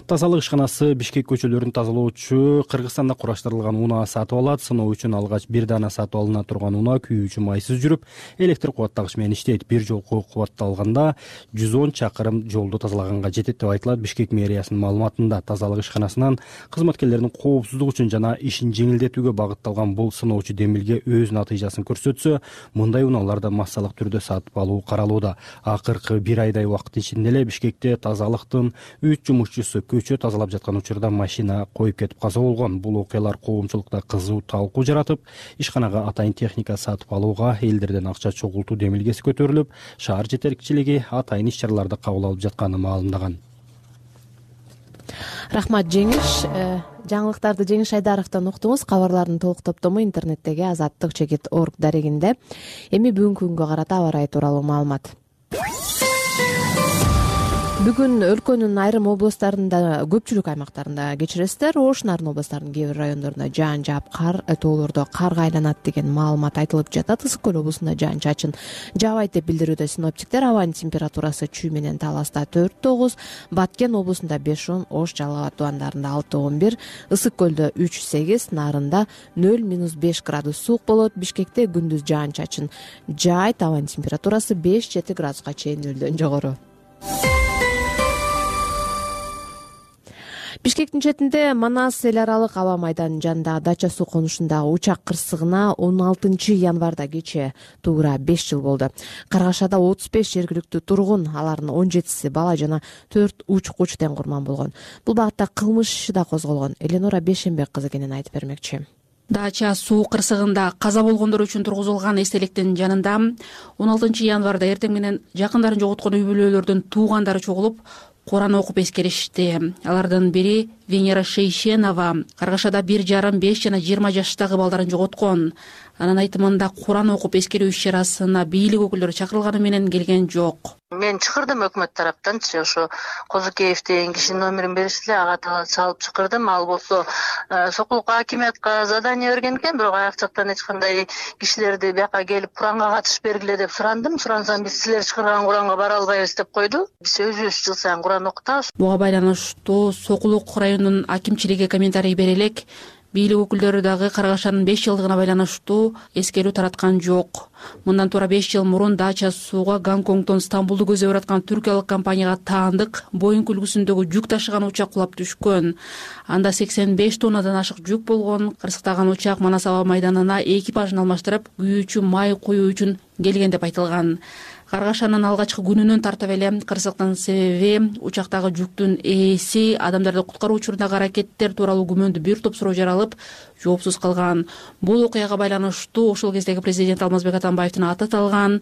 Тазалык ишканасы Бишкек көчөлөрүн тазалоочу Кыргызстанда кураштырылган унаа сатып алат. Сыноо үчүн алгач бир дана сатып алына турган унаа күйүүчү майсыз жүрүп, электр кубаттагыч менен иштейт. Бир жолку кубатталганда жүз он чакырым жолду тазалаганга жетет деп айтылат Бишкек мэриясынын маалыматында. Тазалык ишканасынан кызматкерлердин коопсуздугу үчүн жана ишин жеңилдетүүгө багытталган бул сыноочу демилге өз натыйжасын көрсөтсө, мындай унааларды массалык түрдө сатып алуу каралууда. Акыркы бир айдай убакыт ичинде эле Бишкекте тазалыктын үч жумушчусу көчө тазалап жаткан учурда машина коюп кетип каза болгон. Бул окуялар коомчулукта кызуу талкуу жаратып, ишканага атайын техника сатып алууга элдерден акча чогултуу демилгеси көтөрүлүп, шаар жетекчилиги атайын иш-чараларды кабыл алып жатканын маалымдаган. Рахмат Жеңиш. Жаңылыктарды Жеңиш Айдаровдон уктуңуз. Кабарлардын толук топтому интернеттеги азаттык чекит орг дарегинде. Эми бүгүнкү күнгө карата аба ырайы тууралуу маалымат. Бүгүн өлкөнүн айрым областарында, көпчүлүк аймактарында кечиресиздер, Ош Нарын областарынын кээ бир райондорунда жаан жаап, кар тоолордо карга айланат деген маалымат айтылып жатат. Ысык көл облусунда жаан-чачын жаабайт деп билдирүүдө синоптиктер. Абанын температурасы Чүй менен Таласта төрт тогуз, Баткен облусунда беш он, Ош Жалал абад тубандарында алты он бир, Ысык көлдө үч сегиз, Нарында нөл минус беш градус суук болот. Бишкекте күндүз жаан-чачын жаайт, абанын температурасы беш жети градуска чейин нөлдөн жогору. Бишкектин четинде Манас эл аралык аба майданынын жанындагы дача суу конушундагы учак кырсыгына он алтынчы январда кечээ туура беш жыл болду. Каргашада отуз беш жергиликтүү тургун, алардын он жетиси бала жана төрт уч-куч тең курман болгон. Бул багытта кылмыш иши да козголгон. Эленора Бешенбек кызы кенен айтып бермекчи. Дача суу кырсыгында каза болгондор үчүн тургузулган эстеликтин жанында он алтынчы январда эртең менен жакындарын жоготкон үй бүлөлөрдүн туугандары чогулуп Куран окуп эскеришти. Алардын бири Венера Шейшенова Каргашада бир жарым, беш жана жыйырма жаштагы балдарын жоготкон. Анын айтымында Куран окуп эскерүү иш-чарасына бийлик өкүлдөрү чакырылганы менен келген жок. Мен чакырдым өкмөт тараптан, ошо Козукеев деген кишинин номерин беришти, ага салып чакырдым. Ал болсо Сокулукка акимиятка задание берген экен, бирок аяк жактан эч кандай кишилерди бияка келип Куранга катыш бергиле деп сурандым. Сурансам биз силер чакырган Куранга бара албайбыз деп койду. Биз өзүбүз жыл сайын Куран окутабыз. Буга байланыштуу Сокулук районунун акимчилиги комментарий бере элек. Бийлик өкүлдөрү дагы Каргашанын беш жылдыгына байланыштуу эскерүү тараткан жок. Мындан туура беш жыл мурун дача сууга Гонконгдон Стамбулду көздөп аткан түркиялык компанияга таандык Боинг үлгүсүндөгү жүк ташыган учак кулап түшкөн. Анда сексен беш тоннадан ашык жүк болгон. Кырсыктаган учак Манас аба майданына экипажын алмаштырып, күйүүчү май куюу үчүн келген деп айтылган. Каргашанын алгачкы күнүнөн тартып эле кырсыктын себеби учактагы жүктүн ээси адамдарды куткаруу учурундагы аракеттер тууралуу күмөндүү бир топ суроо жаралып, жоопсуз калган. Бул окуяга байланыштуу ошол кездеги президент Алмазбек Атамбаевдин аты аталган,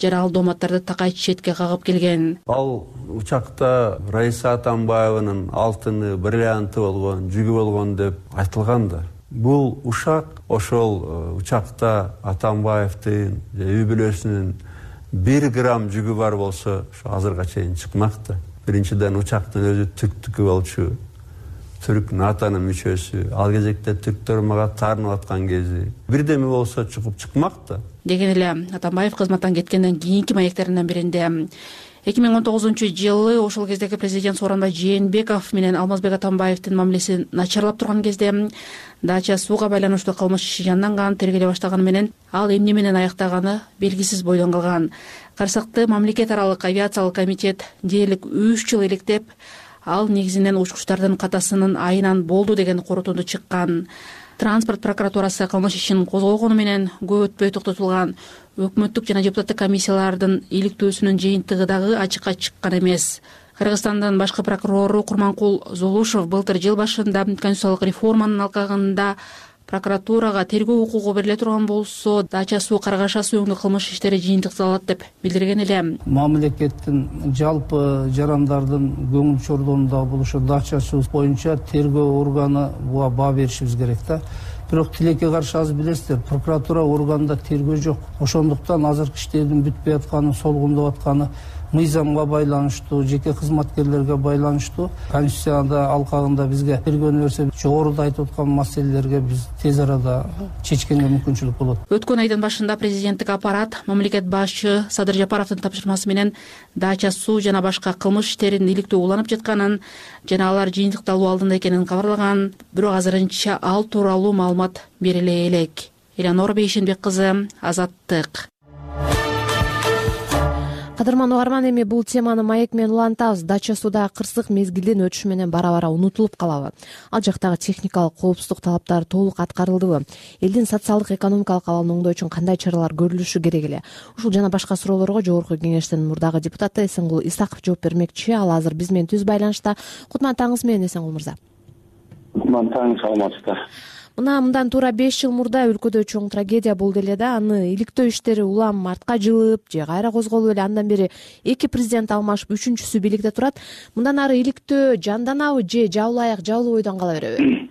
жарал дооматтарды такай четке кагып келген. Ал учакта Раиса Атамбаеванын алтыны, бриллианты болгон, жүгү болгон деп айтылган да. Бул ушак ошол учакта Атамбаевдин үй бүлөсүнүн бир грамм жүгү бар болсо, ошо азырга чейин чыкмакта. Биринчиден учактын өзү түрктүкү болчу. Түрк натанын мүчөсү. Ал кезекте түрктөр мага таарынып аткан кези. Бирдеме болсо чыгып чыкмакта. Деген эле Атамбаев кызматтан кеткенден кийинки маектеринен биринде эки миң он тогузунчу жылы ошол кездеги президент Сооронбай Жээнбеков менен Алмазбек Атамбаевдин мамилеси начарлап турган кезде дача сууга байланыштуу кылмыш иши жанданган, тергеле баштаганы менен ал эмне менен аяктаганы белгисиз бойдон калган. Карсакты мамлекет аралык авиациялык комитет дээрлик үч жыл иликтеп, ал негизинен учкучтардын катасынын айынан болду деген корутунду чыккан. Транспорт прокуратурасы кылмыш ишин козгогону менен көп өтпөй токтотулган өкмөттүк жана депутаттык комиссиялардын иликтөөсүнүн жыйынтыгы дагы ачыкка чыккан эмес. Кыргызстандын башкы прокурору Курманкул Зулушев былтыр жыл башында конституциялык реформанын алкагында прокуратурага тергөө укугу бериле турган болсо, дача суу, Каргашаа сууңдуу кылмыш иштери жыйынтыкталат деп билдирген эле. Мамлекеттин жалпы жарандардын көңүл чордонунда болушу дача суу боюнча тергөө органы буга баа беришибиз керек да. Бирок тилекке каршы азыр билесиздер, прокуратура органында тергөө жок. Ошондуктан азыркы иштердин бүтпөй атканы, солгундап атканы мыйзамга байланыштуу, жеке кызматкерлерге байланыштуу. Конституцияда алкагында бизге тергөөнү берсе, жогоруда айтып аткан маселелерге биз тез арада чечкенге мүмкүнчүлүк болот. Өткөн айдын башында президенттик аппарат мамлекет башчы Садыр Жапаровдун тапшырмасы менен дача суу жана башка кылмыш иштерин иликтөө уланып жатканын жана алар жыйынтыкталуу алдында экенин кабарлаган. Бирок азырынча ал тууралуу маалымат бериле элек. Элеонора Бейшенбек кызы, Азаттык. Кадырман угарман, эми бул теманы маек менен улантабыз. Дача сууда кырсык мезгилдин өтүшү менен бара-бара унутулуп калабы? Ал жактагы техникалык коопсуздук талаптары толук аткарылдыбы? Элдин социалдык экономикалык абалын оңдоо үчүн кандай чаралар көрүлүшү керек эле? Ушул жана башка суроолорго Жогорку Кеңештин мурдагы депутаты Эсенгул Исаков жооп бермекчи. Ал азыр биз менен түз байланышта. Кутман таңыңыз менен, Эсенгул мырза. Кутман таң, саламатсыздар. Мына мындан туура беш жыл мурда өлкөдө чоң трагедия болду эле да. Аны иликтөө иштери улам артка жылып же кайра козголуп эле, андан бери эки президент алмашып, үчүнчүсү бийликте турат. Мындан ары иликтөө жанданабы же жабылы аяк жабылуу бойдон кала береби?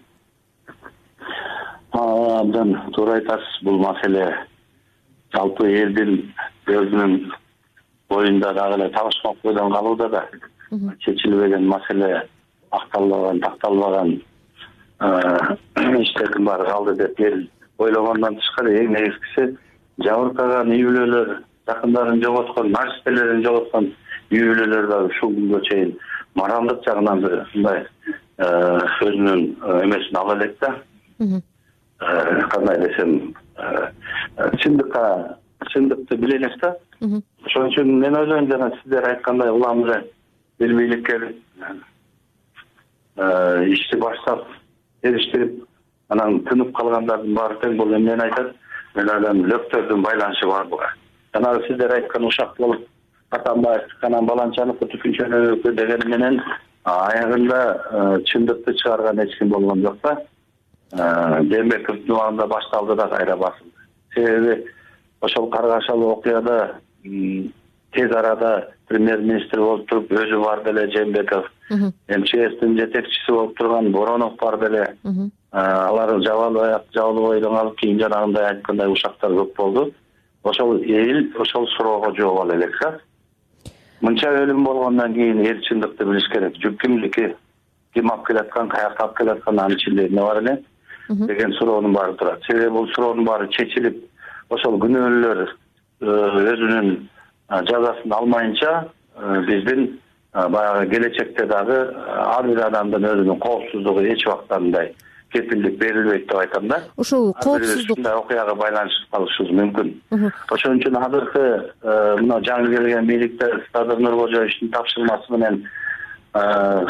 Абдан туура айтасыз. Бул маселе жалпы элдин өзүнүн боюнда дагы эле табышмак бойдон калууда да. Чечилбеген маселе, акталбаган, такталбаган иштердин баары калды деп эл ойлогондон тышкары эң негизгиси жабыркаган үй бүлөлөр, жакындарын жоготкон, нерселерин жоготкон үй бүлөлөр да ушул күнгө чейин моралдык жагынан мындай өзүнүн эмесин ала элек да. Кандай десем, чындыкка чындыкты биле элек да. Ошон үчүн мен ойлойм, жана сиздер айткандай улам эле эл бийликке ишти баштап эриштирип, анан тынып калгандардын баары тең бул эмнени айтат? Мен ойлойм, лөктөрдүн байланышы бар буга. Жанагы сиздер айткан ушак болуп, Атамбаев, анан Баланчаныкы түкүнчөнүкү дегени менен аягында чындыкты чыгарган эч ким болгон жок да. Жээнбековдун убагында башталды да кайра басылды. Себеби ошол каргашалуу окуяда тез арада премьер-министр болуп туруп, өзү бар деле Жээнбеков, эм че эстин жетекчиси болуп турган Боронов бар деле. Алар жабылы аяк жабылуу бойдон калып, кийин жанагындай айткандай ушактар көп болду. Ошол эл ошол суроого жооп ала элек да. Мынча өлүм болгондон кийин эл чындыкты билиш керек. Жүк кимдики, ким алып келаткан, каякка алып келаткан, анын ичинде эмне бар эле деген суроонун баары турат. Себеби бул суроонун баары чечилип, ошол күнөөлөр өзүнүн жазасын алмайынча биздин баягы келечекте дагы ар бир адамдын өзүнүн коопсуздугу эч убакта мындай кепилдик берилбейт деп айтам да. Ошол коопсуздук ушундай окуяга байланышып калышыбыз мүмкүн. Ошон үчүн азыркы мына жаңы келген бийликте Садыр Нуркожоевичтин тапшырмасы менен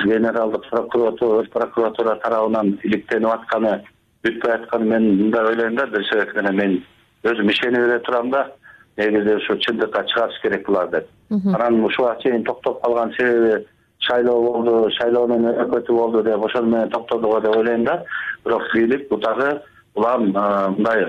генералдык прокуратура прокуратура тарабынан иликтенип атканы, бүтпөй атканы мен мындай ойлойм да, бир себеп менен мен өзүм ишенип эле турам да. Негизи ушу чындыкка чыгарыш керек булар деп. Анан ушуга чейин токтоп калган себеби шайлоо болду, шайлоонун өкмөтү болду деп ошол менен токтодуго деп ойлойм да. Бирок бийлик бул дагы улам мындай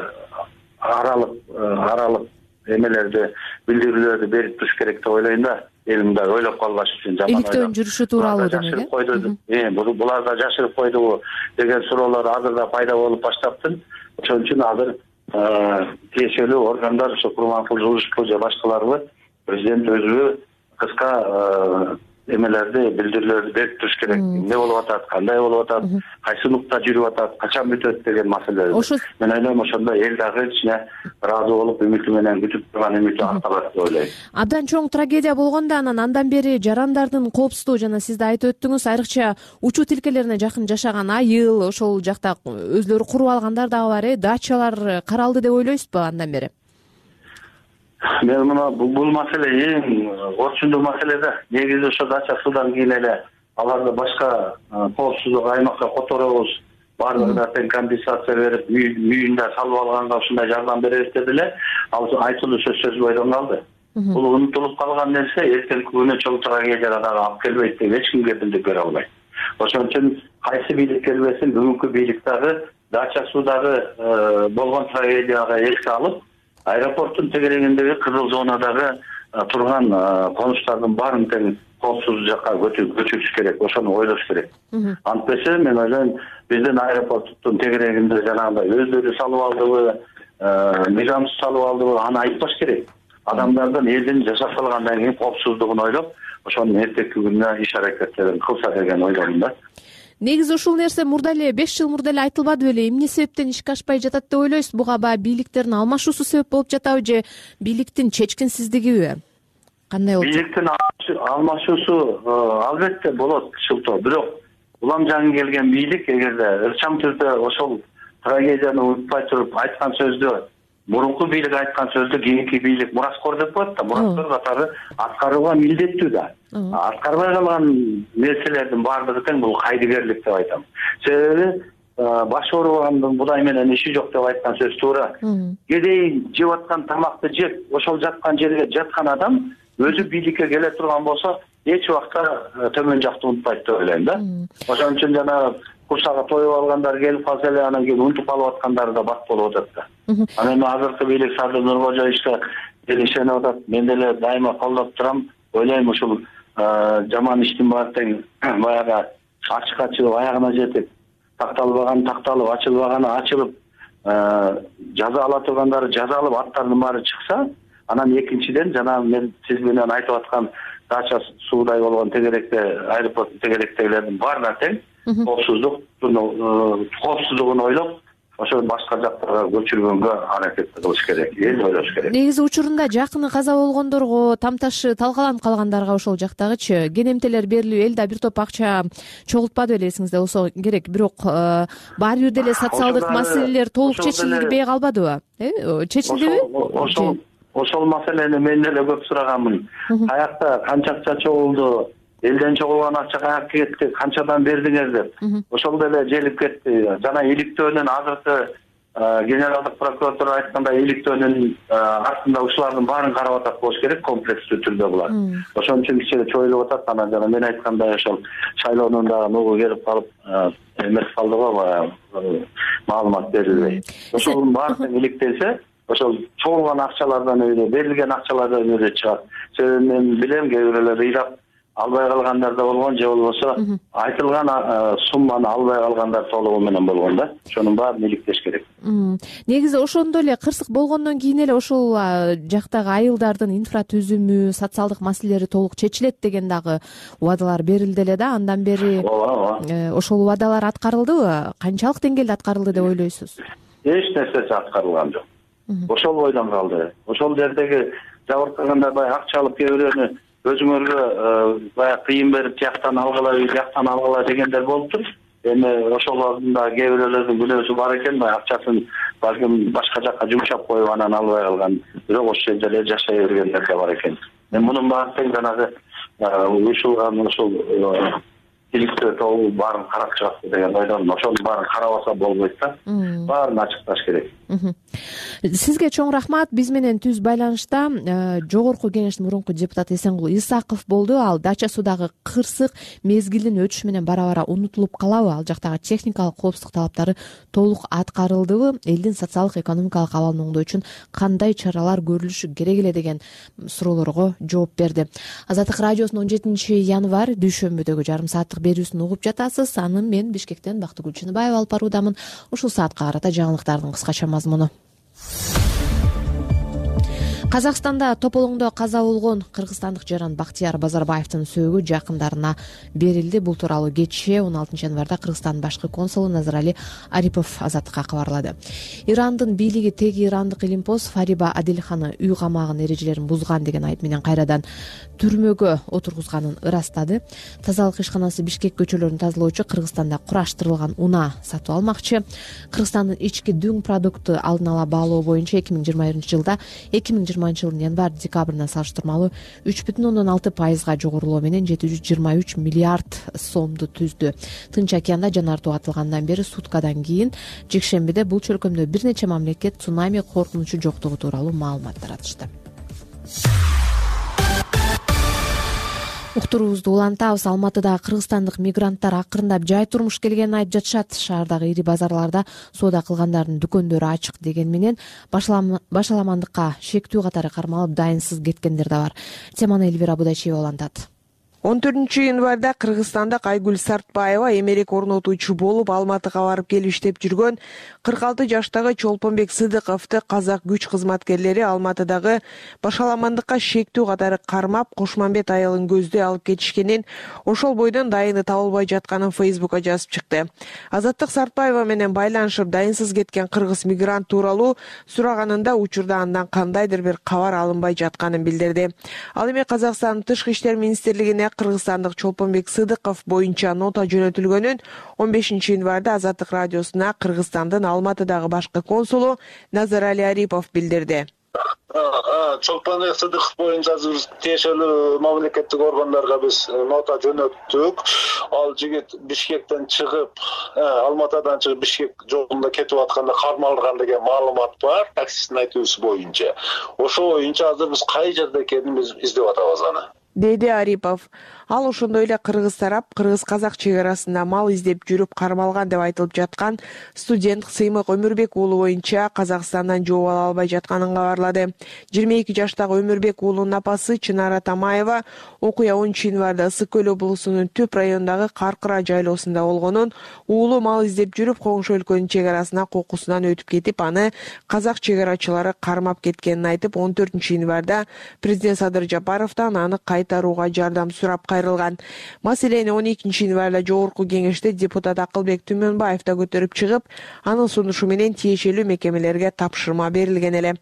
аралык аралык эмелерди, билдирүүлөрдү берип туруш керек деп ойлойм да. Эл мындай ойлоп калбаш үчүн жаман ойлоп. Иликтөөнүн жүрүшү тууралуу демек. Э, булар да жашырып койдубу деген суроолор азыр да пайда болуп баштаптыр. Ошон үчүн азыр тиешелүү органдар, ошо Курманкул Жулушевго же башкаларга президент өзү кыска эмелерди, билдирүүлөрдү берип туруш керек. Эмне болуп атат, кандай болуп атат, кайсы нукта жүрүп атат, качан бүтөт деген маселелер. Мен ойлойм, ошондо эл дагы ичине ыраазы болуп, үмүтү менен күтүп турган үмүтү акталат деп ойлойм. Абдан чоң трагедия болгондо анан андан бери жарандардын коопсуздугу жана сиз да айтып өттүңүз, айрыкча учуу тилкелерине жакын жашаган айыл, ошол жакта өзлөрү куруп алгандар дагы бар, э, дачалар каралды деп ойлойсузбу андан бери? Мен мына бул маселе эң орчундуу маселе да. Негизи ошо дача суудан кийин эле аларды башка коопсуздук аймакка которобуз, баардыгына тең компенсация берип үйүндө салып алганга ушундай жардам беребиз деди эле. Ал айтылуу сөз сөз бойдон калды. Бул унутулуп калган нерсе эртеңки күнү чоң трагедияга дагы алып келбейт деп эч кимге билдип бере албайт. Ошон үчүн кайсы бийлик келбесин бүгүнкү бийлик дагы дача суудагы болгон трагедияга эске алып, аэропорттун тегерегиндеги кызыл зонадагы турган конуштардын баарын тең коопсуз жакка көчүрүш керек, ошону ойлош керек. Антпесе мен ойлойм, биздин аэропорттун тегерегинде жанагындай өздөрү салып алдыбы, мигрант салып алдыбы, аны айтпаш керек. Адамдардын элдин жашап калгандан кийин коопсуздугун ойлоп, ошонун эртеңки күнүнө иш аракеттерин кылса деген ойдомун да. Негизи ушул нерсе мурда эле беш жыл мурда эле айтылбады беле? Эмне себептен ишке ашпай жатат деп ойлойсуз? Буга баягы бийликтердин алмашуусу себеп болуп жатабы же бийликтин чечкинсиздигиби? Кандай болот? Бийликтин алмашуусу албетте болот шылтоо, бирок улам жаңы келген бийлик эгерде ырчам түрдө ошол трагедияны унутпай туруп айткан сөздү, мурунку бийлик айткан сөздү кийинки бийлик мураскор деп коет да, мураскор катары аткарууга милдеттүү да. Аткарбай калган нерселердин баардыгы тең бул кайдыгерлик деп айтам. Себеби баш оорубагандын будай менен иши жок деп айткан сөз туура. Кедей жеп аткан тамакты жеп, ошол жаткан жерге жаткан адам өзү бийликке келе турган болсо, эч убакта төмөн жакты унутпайт деп ойлойм да. Ошон үчүн жана курсагы тоюп алгандар келип калса эле анан кийин унутуп калып аткандары да бат болуп атат да. Анан эми азыркы бийлик Садыр Нуркожо ишке ишенип атат. Мен деле дайыма колдоп турам. Ойлойм ушул жаман иштин баары тең баягы ачык ачылып аягына жетип, такталбаган такталып, ачылбаганы ачылып, жаза ала тургандары жаза алып, аттардын баары чыкса, анан экинчиден жана мен сиз менен айтып аткан дача суудай болгон тегеректе, аэропорттун тегеректегилердин баарына тең коопсуздук коопсуздугун ойлоп, ошол башка жактарга көчүргөнгө аракет кылыш керек, эл ойлош керек. Негизи учурунда жакыны каза болгондорго, тамташы талкаланып калгандарга ошол жактагычы кенемтелер берилип, эл да бир топ акча чогултпады беле, эсиңизде болсо керек, бирок баары бир деле социалдык маселелер толук чечилбей калбадыбы? Э, чечилдиби? Ошол ошол маселени мен деле көп сураганмын. Каякта канча акча чогулду? Элден чогулган акча каяка кетти, канчадан бердиңер деп. Ошол деле желип кетти. Жана иликтөөнүн азыркы генералдык прокуратура айткандай иликтөөнүн артында ушулардын баарын карап атат болуш керек, комплекстүү түрдө булар. Ошон үчүн кичине чоюлуп атат. Анан жана мен айткандай ошол шайлоонун дагы нугу келип калып эмес калды го, баягы маалымат берилбей. Ошонун баары иликтелсе, ошол чогулган акчалардан өзү, берилген акчалардан өзү чыгат. Себеби мен билем, кээ бирөөлөр ыйлап албай калгандар да болгон, же болбосо айтылган сумманы албай калгандар толугу менен болгон да. Ошонун баарын иликтеш керек. Негизи ошондо эле кырсык болгондон кийин эле ошол жактагы айылдардын инфратүзүмү, социалдык маселелери толук чечилет деген дагы убадалар берилди эле да. Андан бери ошол убадалар аткарылдыбы? Канчалык деңгээлде аткарылды деп ойлойсуз? Эч нерсеси аткарылган жок. Ошол бойдон калды. Ошол жердеги жабыркагандар баягы акча алып кээ бирөөнү өзүңөргө баягы кыйын берип тияктан алгыла, бияктан алгыла дегендер болуптур. Эми ошолордун кээ бирөөлөрдүн күнөөсү бар экен, баягы акчасын балким башка жакка жумшап коюп анан албай калган, бирок ошол жерде эле жашай бергендер да бар экен. Эми мунун баары тең жанагы уюшулган ошол иликтөө тобу баарын карап чыгат деген ойдомун. Ошонун баарын карабаса болбойт да. Баарын ачыкташ керек. Сизге чоң рахмат. Биз менен түз байланышта жогорку кеңештин мурунку депутаты Эсенгул Исаков болду. Ал дача суудагы кырсык мезгилдин өтүшү менен бара-бара унутулуп калабы? Ал жактагы техникалык коопсуздук талаптары толук аткарылдыбы? Элдин социалдык экономикалык абалын оңдоо үчүн кандай чаралар көрүлүшү керек эле деген суроолорго жооп берди. Азаттык радиосунун он жетинчи январь дүйшөмбүдөгү жарым сааттык берүүсүн угуп жатасыз. Аны мен Бишкектен Бактыгүл Чыныбаева алып баруудамын. Ушул саатка карата жаңылыктардын кыскача мазмуну. Казакстанда тополоңдо каза болгон кыргызстандык жаран Бактияр Базарбаевдин сөөгү жакындарына берилди. Бул тууралуу кечээ он алтынчы январда Кыргызстандын башкы консулу Назарали Арипов Азаттыкка кабарлады. Ирандын бийлиги теги ирандык илимпоз Фариба Адилханы үй камагын эрежелерин бузган деген айып менен кайрадан түрмөгө отургузганын ырастады. Тазалык ишканасы Бишкек көчөлөрүн тазалоочу Кыргызстанда кураштырылган унаа сатып алмакчы. Кыргызстандын ички дүң продукты алдын ала баалоо боюнча эки миң жыйырма биринчи жылда эки миң жыйырма жыйырманчы жылдын январь декабрына салыштырмалуу үч бүтүн ондон алты пайызга жогорулоо менен жети жүз жыйырма үч миллиард сомду түздү. Тынч океанда жанартуу атылгандан бери суткадан кийин жекшембиде бул чөлкөмдө бир нече мамлекет цунами коркунучу жоктугу тууралуу маалымат таратышты. Уктуруубузду улантабыз. Алматыдагы кыргызстандык мигранттар акырындап жай турмуш келгенин айтып жатышат. Шаардагы ири базарларда соода кылгандардын дүкөндөрү ачык деген менен башаламандыкка шектүү катары кармалып дайынсыз кеткендер да бар. Теманы Эльвира Будачева улантат. он төртүнчү январда кыргызстандык Айгүл Сартбаева эмерек орнотуучу болуп Алматыга барып келип иштеп жүргөн кырк алты жаштагы Чолпонбек Сыдыковду казак күч кызматкерлери Алматыдагы башаламандыкка шектүү катары кармап, Кошмамбет айылын көздөй алып кетишкенин, ошол бойдон дайыны табылбай жатканын Фейсбукка жазып чыкты. Азаттык Сартбаева менен байланышып дайынсыз кеткен кыргыз мигрант тууралуу сураганында учурда андан кандайдыр бир кабар алынбай жатканын билдирди. Ал эми Казакстандын Тышкы иштер министрлигине кыргызстандык Чолпонбек Сыдыков боюнча нота жөнөтүлгөнүн он бешинчи январда Азаттык радиосуна Кыргызстандын Алматыдагы башкы консулу Назарали Арипов билдирди. Чолпонбек Сыдыков боюнча тиешелүү мамлекеттик органдарга биз нота жөнөттүк. Ал жигит Бишкектен чыгып, Алматыдан чыгып Бишкек жолунда кетип атканда кармалган деген маалымат бар, таксисттин айтуусу боюнча. Ошо боюнча азыр биз кай жерде экенин биз издеп атабыз аны, деди Арипов. Ал ошондой эле кыргыз тарап кыргыз-казак чек арасында мал издеп жүрүп кармалган деп айтылып жаткан студент Сыймык Өмүрбек уулу боюнча Казакстандан жооп ала албай жатканын кабарлады. жыйырма эки жаштагы Өмүрбек уулунун апасы Чынара Тамаева окуя онунчу январда Ысык көл облусунун Түп районундагы Каркыра жайлоосунда болгонун, уулу мал издеп жүрүп коңшу өлкөнүн чек арасына кокусунан өтүп кетип, аны казак чек арачылары кармап кеткенин айтып, он төртүнчү январда президент Садыр Жапаровдон аны кайтарууга жардам сурап кайрылган. Маселени он экинчи январда жогорку кеңеште депутат Акылбек Түмөнбаев да көтөрүп чыгып, анын сунушу менен тиешелүү мекемелерге тапшырма берилген эле.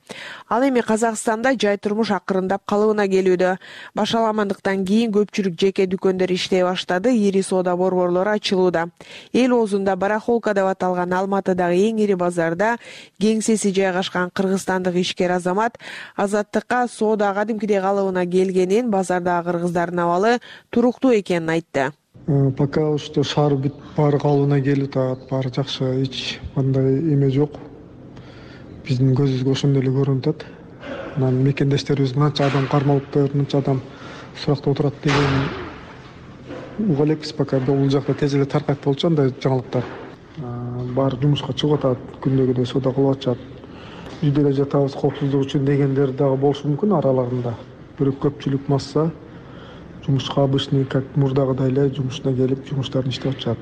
Ал эми Казакстанда жай турмуш акырындап калыбына келүүдө. Башаламандыктан кийин көпчүлүк жеке дүкөндөр иштей баштады, ири соода борборлору ачылууда. Эл оозунда Барахолка деп аталган Алматыдагы эң ири базарда кеңсеси жайгашкан кыргызстандык ишкер азамат Азаттыкка соода кадимкидей калыбына келгенин, базардагы кыргыздардын абалы туруктуу экенин айтты. Пока что шаар бүт баары калыбына келип атат, баары жакшы, эч кандай эме жок. Биздин көзүбүзгө ошондой эле көрүнүп атат. Анан мекендештерибиз мынча адам кармалыптыр, мынча адам суракта отурат деген уга элекпиз. Пока бул жакта тез эле таркайт болчу андай жаңылыктар. Баары жумушка чыгып атат, күндөгүдөй соода кылып атышат. Үйдө эле жатабыз, коопсуздук үчүн дегендер дагы болушу мүмкүн араларында. Бирок көпчүлүк масса жумушка обычный как мурдагыдай эле жумушуна келип, жумуштарын иштеп атышат,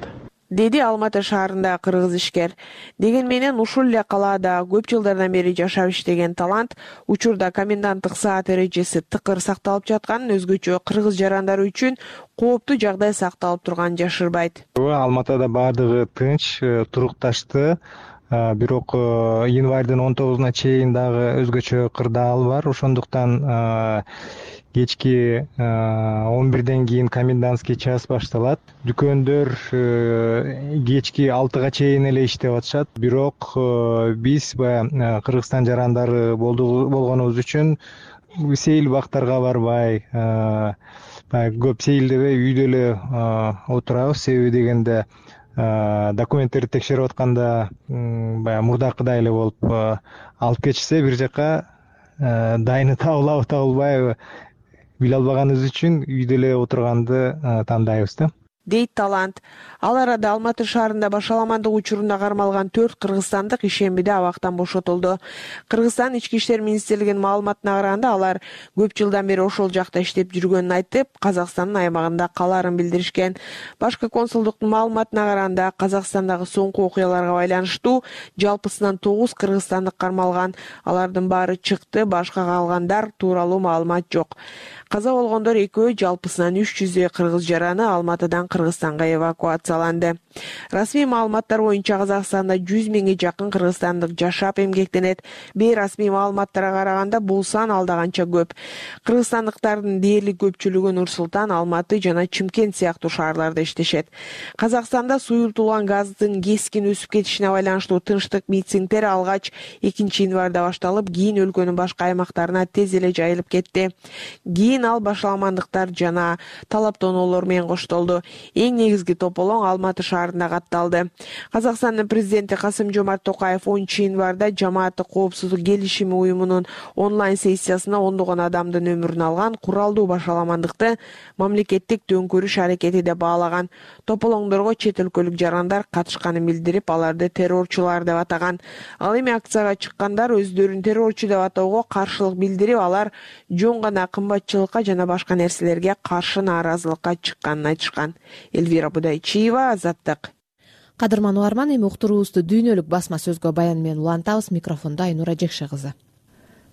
деди Алматы шаарындагы кыргыз ишкер. Деген менен ушул эле калаада көп жылдардан бери жашап иштеген талант учурда коменданттык саат эрежеси тыкыр сакталып жатканын, өзгөчө кыргыз жарандары үчүн кооптуу жагдай сакталып турганын жашырбайт. Алматыда баардыгы тынч, турукташты. Бирок январдын он тогузуна чейин дагы өзгөчө кырдаал бар. Ошондуктан кечки он бирден кийин комендантский час башталат. Дүкөндөр кечки алтыга чейин эле иштеп атышат. Бирок биз баягы Кыргызстан жарандары болгонубуз үчүн сейил бактарга барбай, көп сейилдебей үйдө эле отурабыз. Себеби дегенде документтерди текшерип атканда баягы мурдакыдай эле болуп алып кетишсе, бир жака дайыны табылабы табылбайбы биле албаганыбыз үчүн үйдө эле отурганды тандайбыз да, дейт талант. Ал арада Алматы шаарында башаламандык учурунда кармалган төрт кыргызстандык ишембиде абактан бошотулду. Кыргызстан ички иштер министрлигинин маалыматына караганда, алар көп жылдан бери ошол жакта иштеп жүргөнүн айтып, Казакстандын аймагында калаарын билдиришкен. Башкы консулдуктун маалыматына караганда, Казакстандагы соңку окуяларга байланыштуу жалпысынан тогуз кыргызстандык кармалган. Алардын баары чыкты, башка калгандар тууралуу маалымат жок. Каза болгондор экөө жалпысынан үч жүздөй кыргыз жараны Алматыдан Кыргызстанга эвакуацияланды. Расмий маалыматтар боюнча Казакстанда жүз миңге жакын кыргызстандык жашап эмгектенет. Бейрасмий маалыматтарга караганда бул сан алдаганча көп. Кыргызстандыктардын дээрлик көпчүлүгү Нур Султан, Алматы жана Чымкент сыяктуу шаарларда иштешет. Казакстанда суюлтулган газдын кескин өсүп кетишине байланыштуу тынчтык митингдер алгач экинчи январда башталып, кийин өлкөнүн башка аймактарына тез эле жайылып кетти. Кийин ал башаламандыктар жана талаптоноолор менен коштолду. Эң негизги тополоң Алматы шаарында катталды. Казакстандын президенти Касым-Жомарт Токаев онунчу январда жамааттык коопсуздук келишими уюмунун онлайн сессиясына ондогон адамдын өмүрүн алган куралдуу башаламандыкты мамлекеттик төңкөрүш аракети деп баалаган. Тополоңдорго чет өлкөлүк жарандар катышканын билдирип, аларды террорчулар деп атаган. Ал эми акцияга чыккандар өздөрүн террорчу деп атоого каршылык билдирип, алар жөн гана кымбатчылыкка жана башка нерселерге каршы нааразылыкка чыкканын айтышкан. Эльвира Будайчиева, Азаттык. Кадырман угарман, эми уктуруубузду дүйнөлүк басма сөзгө баян менен улантабыз. Микрофондо Айнура Жекше кызы.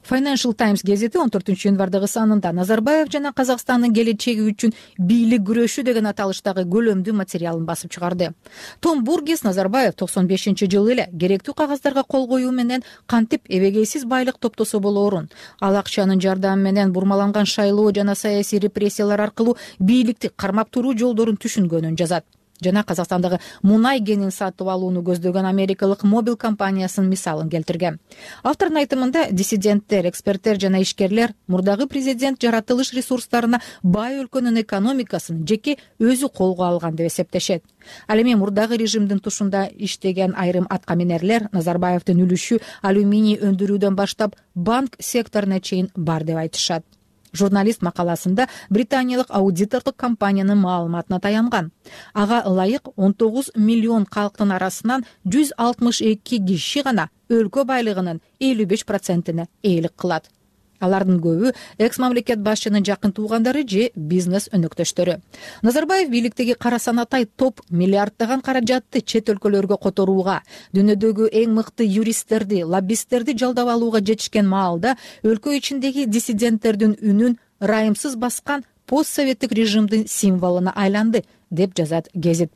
Financial Times газети он төртүнчү январдагы санында Назарбаев жана Казакстандын келечеги үчүн бийлик күрөшү деген аталыштагы көлөмдүү материалын басып чыгарды. Том Бургес Назарбаев токсон бешинчи жылы эле керектүү кагаздарга кол коюу менен кантип эбегейсиз байлык топтосо болоорун, ал акчанын жардамы менен бурмаланган шайлоо жана саясий репрессиялар аркылуу бийликти кармап туруу жолдорун түшүнгөнүн жазат. Жана Казакстандагы мунай кенин сатып алууну көздөгөн америкалык Mobil компаниясынын мисалын келтирген. Автордун айтымында диссиденттер, эксперттер жана ишкерлер мурдагы президент жаратылыш ресурстарына бай өлкөнүн экономикасын жеке өзү колго алган деп эсептешет. Ал эми мурдагы режимдин тушунда иштеген айрым аткаминерлер Назарбаевдин үлүшү алюминий өндүрүүдөн баштап банк секторуна чейин бар деп айтышат. Журналист макаласында британиялык аудитордук компаниянын маалыматына таянган. Ага ылайык он тогуз миллион калктын арасынан жүз алтымыш эки киши гана өлкө байлыгынын элүү беш процентине ээлик кылат. Алардын көбү экс-мамлекет башчынын жакын туугандары же бизнес өнөктөштөрү. Назарбаев бийликтеги кара санатай топ миллиарддаган каражатты чет өлкөлөргө которууга, дүйнөдөгү эң мыкты юристтерди, лоббисттерди жалдап алууга жетишкен маалда өлкө ичиндеги диссиденттердин үнүн ырайымсыз баскан постсоветтик режимдин символуна айланды, деп жазат гезит.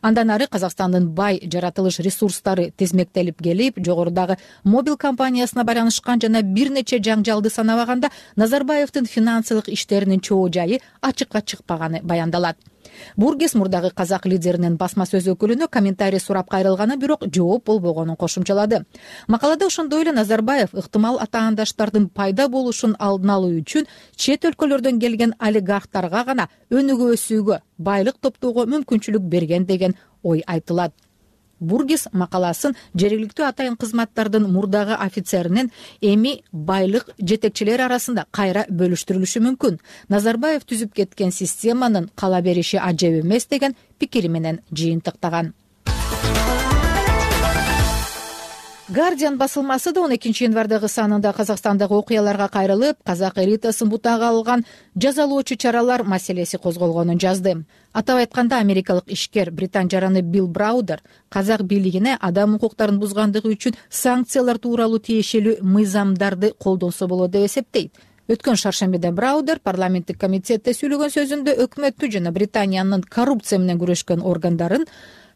Андан ары Казакстандын бай жаратылыш ресурстары тезмектелип келип, жогорудагы Mobil компаниясына байланышкан жана бир нече жаңжалды санабаганда Назарбаевдин финансылык иштеринин чоо жайы ачыкка чыкпаганы баяндалат. Бургес мурдагы казак лидеринин басма сөз өкүлүнө комментарий сурап кайрылганы, бирок жооп болбогонун кошумчалады. Макалада ошондой эле Назарбаев ыктымал атаандаштардын пайда болушун алдын алуу үчүн чет өлкөлөрдөн келген олигархтарга гана өнүгө өсүүгө, байлык топтоого мүмкүнчүлүк берген деген ой айтылат. Бургес макаласын жергиликтүү атайын кызматтардын мурдагы офицеринин эми байлык жетекчилери арасында кайра бөлүштүрүлүшү мүмкүн. Назарбаев түзүп кеткен системанын кала бериши ажеп эмес деген пикири менен жыйынтыктаган. Guardian басылмасы да он экинчи январдагы санында Казакстандагы окуяларга кайрылып, казак элитасын бутага алган жазалоочу чаралар маселеси козголгонун жазды. Атап айтканда, америкалык ишкер британ жараны Билл Браудер казак бийлигине адам укуктарын бузгандыгы үчүн санкциялар тууралуу тиешелүү мыйзамдарды колдонсо болот деп эсептейт. Өткөн шаршембиде Браудер парламенттик комитетте сүйлөгөн сөзүндө өкмөттү жана Британиянын коррупция менен күрөшкөн органдарын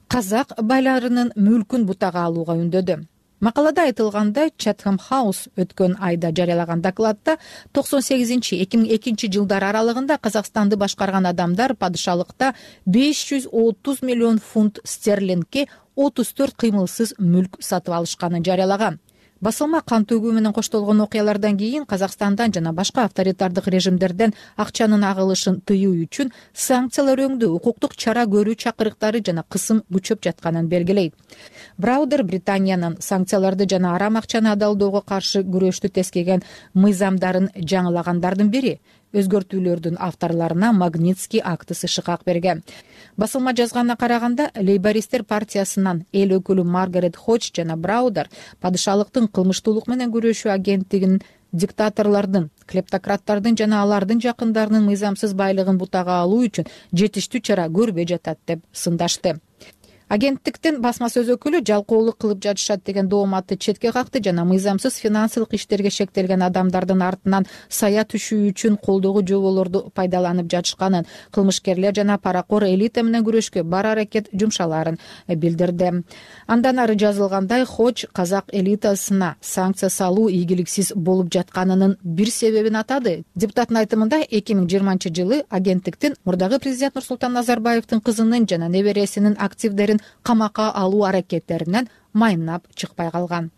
казак байларынын мүлкүн бутага алууга үндөдү. Макалада айтылгандай, Chatham House өткөн айда жарыялаган докладта токсон сегизинчи эки миң экинчи жылдар аралыгында Казакстанды башкарган адамдар падышалыкта беш жүз отуз миллион фунт стерлингке отуз төрт кыймылсыз мүлк сатып алышканын жарыялаган. Басылма кан төгүү менен коштолгон окуялардан кийин Казакстандан жана башка авторитардык режимдерден акчанын агылышын тыюу үчүн санкциялар өңдүү, укуктук чара көрүү чакырыктары жана кысым күчөп жатканын белгилейт. Браудер Британиянын санкцияларды жана арам акчаны адалдоого каршы күрөштү тескеген мыйзамдарын жаңылагандардын бири. Өзгөртүүлөрдүн авторлоруна Магнитский актысы шыкак берген. Басылма жазганына караганда, лейбористтер партиясынан эл өкүлү Маргарет Ходж жана Браудер падышалыктын кылмыштуулук менен күрөшүү агенттигинин диктаторлордун, клептократтардын жана алардын жакындарынын мыйзамсыз байлыгын бутага алуу үчүн жетиштүү чара көрбөй жатат деп сындашты. агенттиктин басма сөз өкүлү жалкоолук кылып жатышат деген дооматты четке какты жана мыйзамсыз финансылык иштерге шектелген адамдардын артынан сая түшүү үчүн колдогу жоболорду пайдаланып жатышканын, кылмышкерлер жана паракор элита менен күрөшкө бар аракет жумшалаарын билдирди. Андан ары жазылгандай, Хоч казак элитасына санкция салуу ийгиликсиз болуп жатканынын бир себебин атады. Депутаттын айтымында эки миң жыйырманчы жылы агенттиктин мурдагы президент Нурсултан Назарбаевдин кызынын жана небересинин активдерин камакка алуу аракеттеринен майнап чыкпай калган.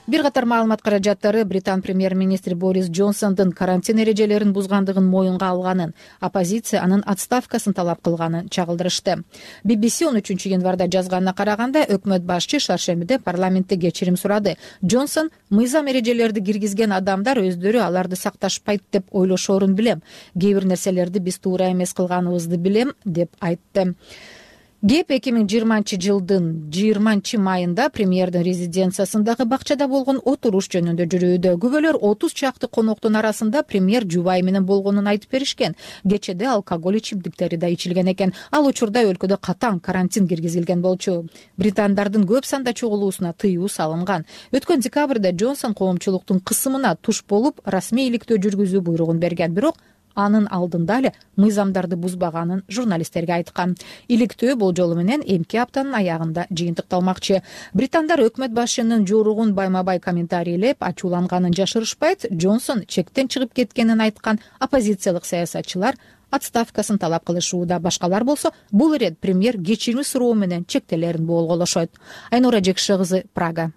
Бир катар маалымат каражаттары Британ премьер-министри Борис Джонсондун карантин эрежелерин бузгандыгын моюнга алганын, оппозиция анын отставкасын талап кылганын чагылдырышты. би би си он үчүнчү январда жазганына караганда, өкмөт башчы шаршембиде парламентте кечирим сурады. Джонсон мыйзам эрежелерди киргизген адамдар өздөрү аларды сакташпайт деп ойлошоорун билем. Кээ бир нерселерди биз туура эмес кылганыбызды билем, деп айтты. Кеп эки миң жыйырманчы жылдын жыйырманчы майында премьердин резиденциясындагы бакчада болгон отуруш жөнүндө жүрүүдө күбөлөр отуз чакты коноктун арасында премьер жубайы менен болгонун айтып беришкен. Кечеде алкоголь ичимдиктери да ичилген экен. Ал учурда өлкөдө катаң карантин киргизилген болчу. Британдардын көп санда чогулуусуна тыюу салынган. Өткөн декабрда Джонсон коомчулуктун кысымына туш болуп, расмий иликтөө жүргүзүү буйругун берген, бирок анын алдында эле мыйзамдарды бузбаганын журналисттерге айткан. Иликтөө бул жолу менен эмки аптанын аягында жыйынтыкталмакчы. Британдар өкмөт башчынын жоругун байма-бай комментарийлеп, ачууланганын жашырышпайт. Джонсон чектен чыгып кеткенин айткан оппозициялык саясатчылар отставкасын талап кылышууда. Башкалар болсо бул ирет премьер кечирим суроо менен чектелерин болголошот. Айнура Жекше кызы, Прага.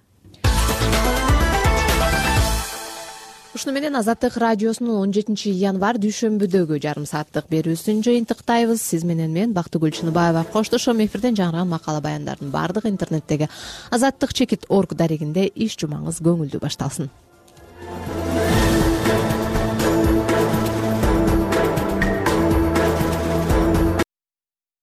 Ушуну менен Азаттык радиосунун он жетинчи январь дүйшөмбүдөгү жарым сааттык берүүсүн жыйынтыктайбыз. Сиз менен мен Бактыгүл Чыныбаева коштошом. Эфирден жаңырган макала баяндардын бардыгы интернеттеги азаттык чекит точка орг дарегинде. Иш жумаңыз көңүлдүү башталсын.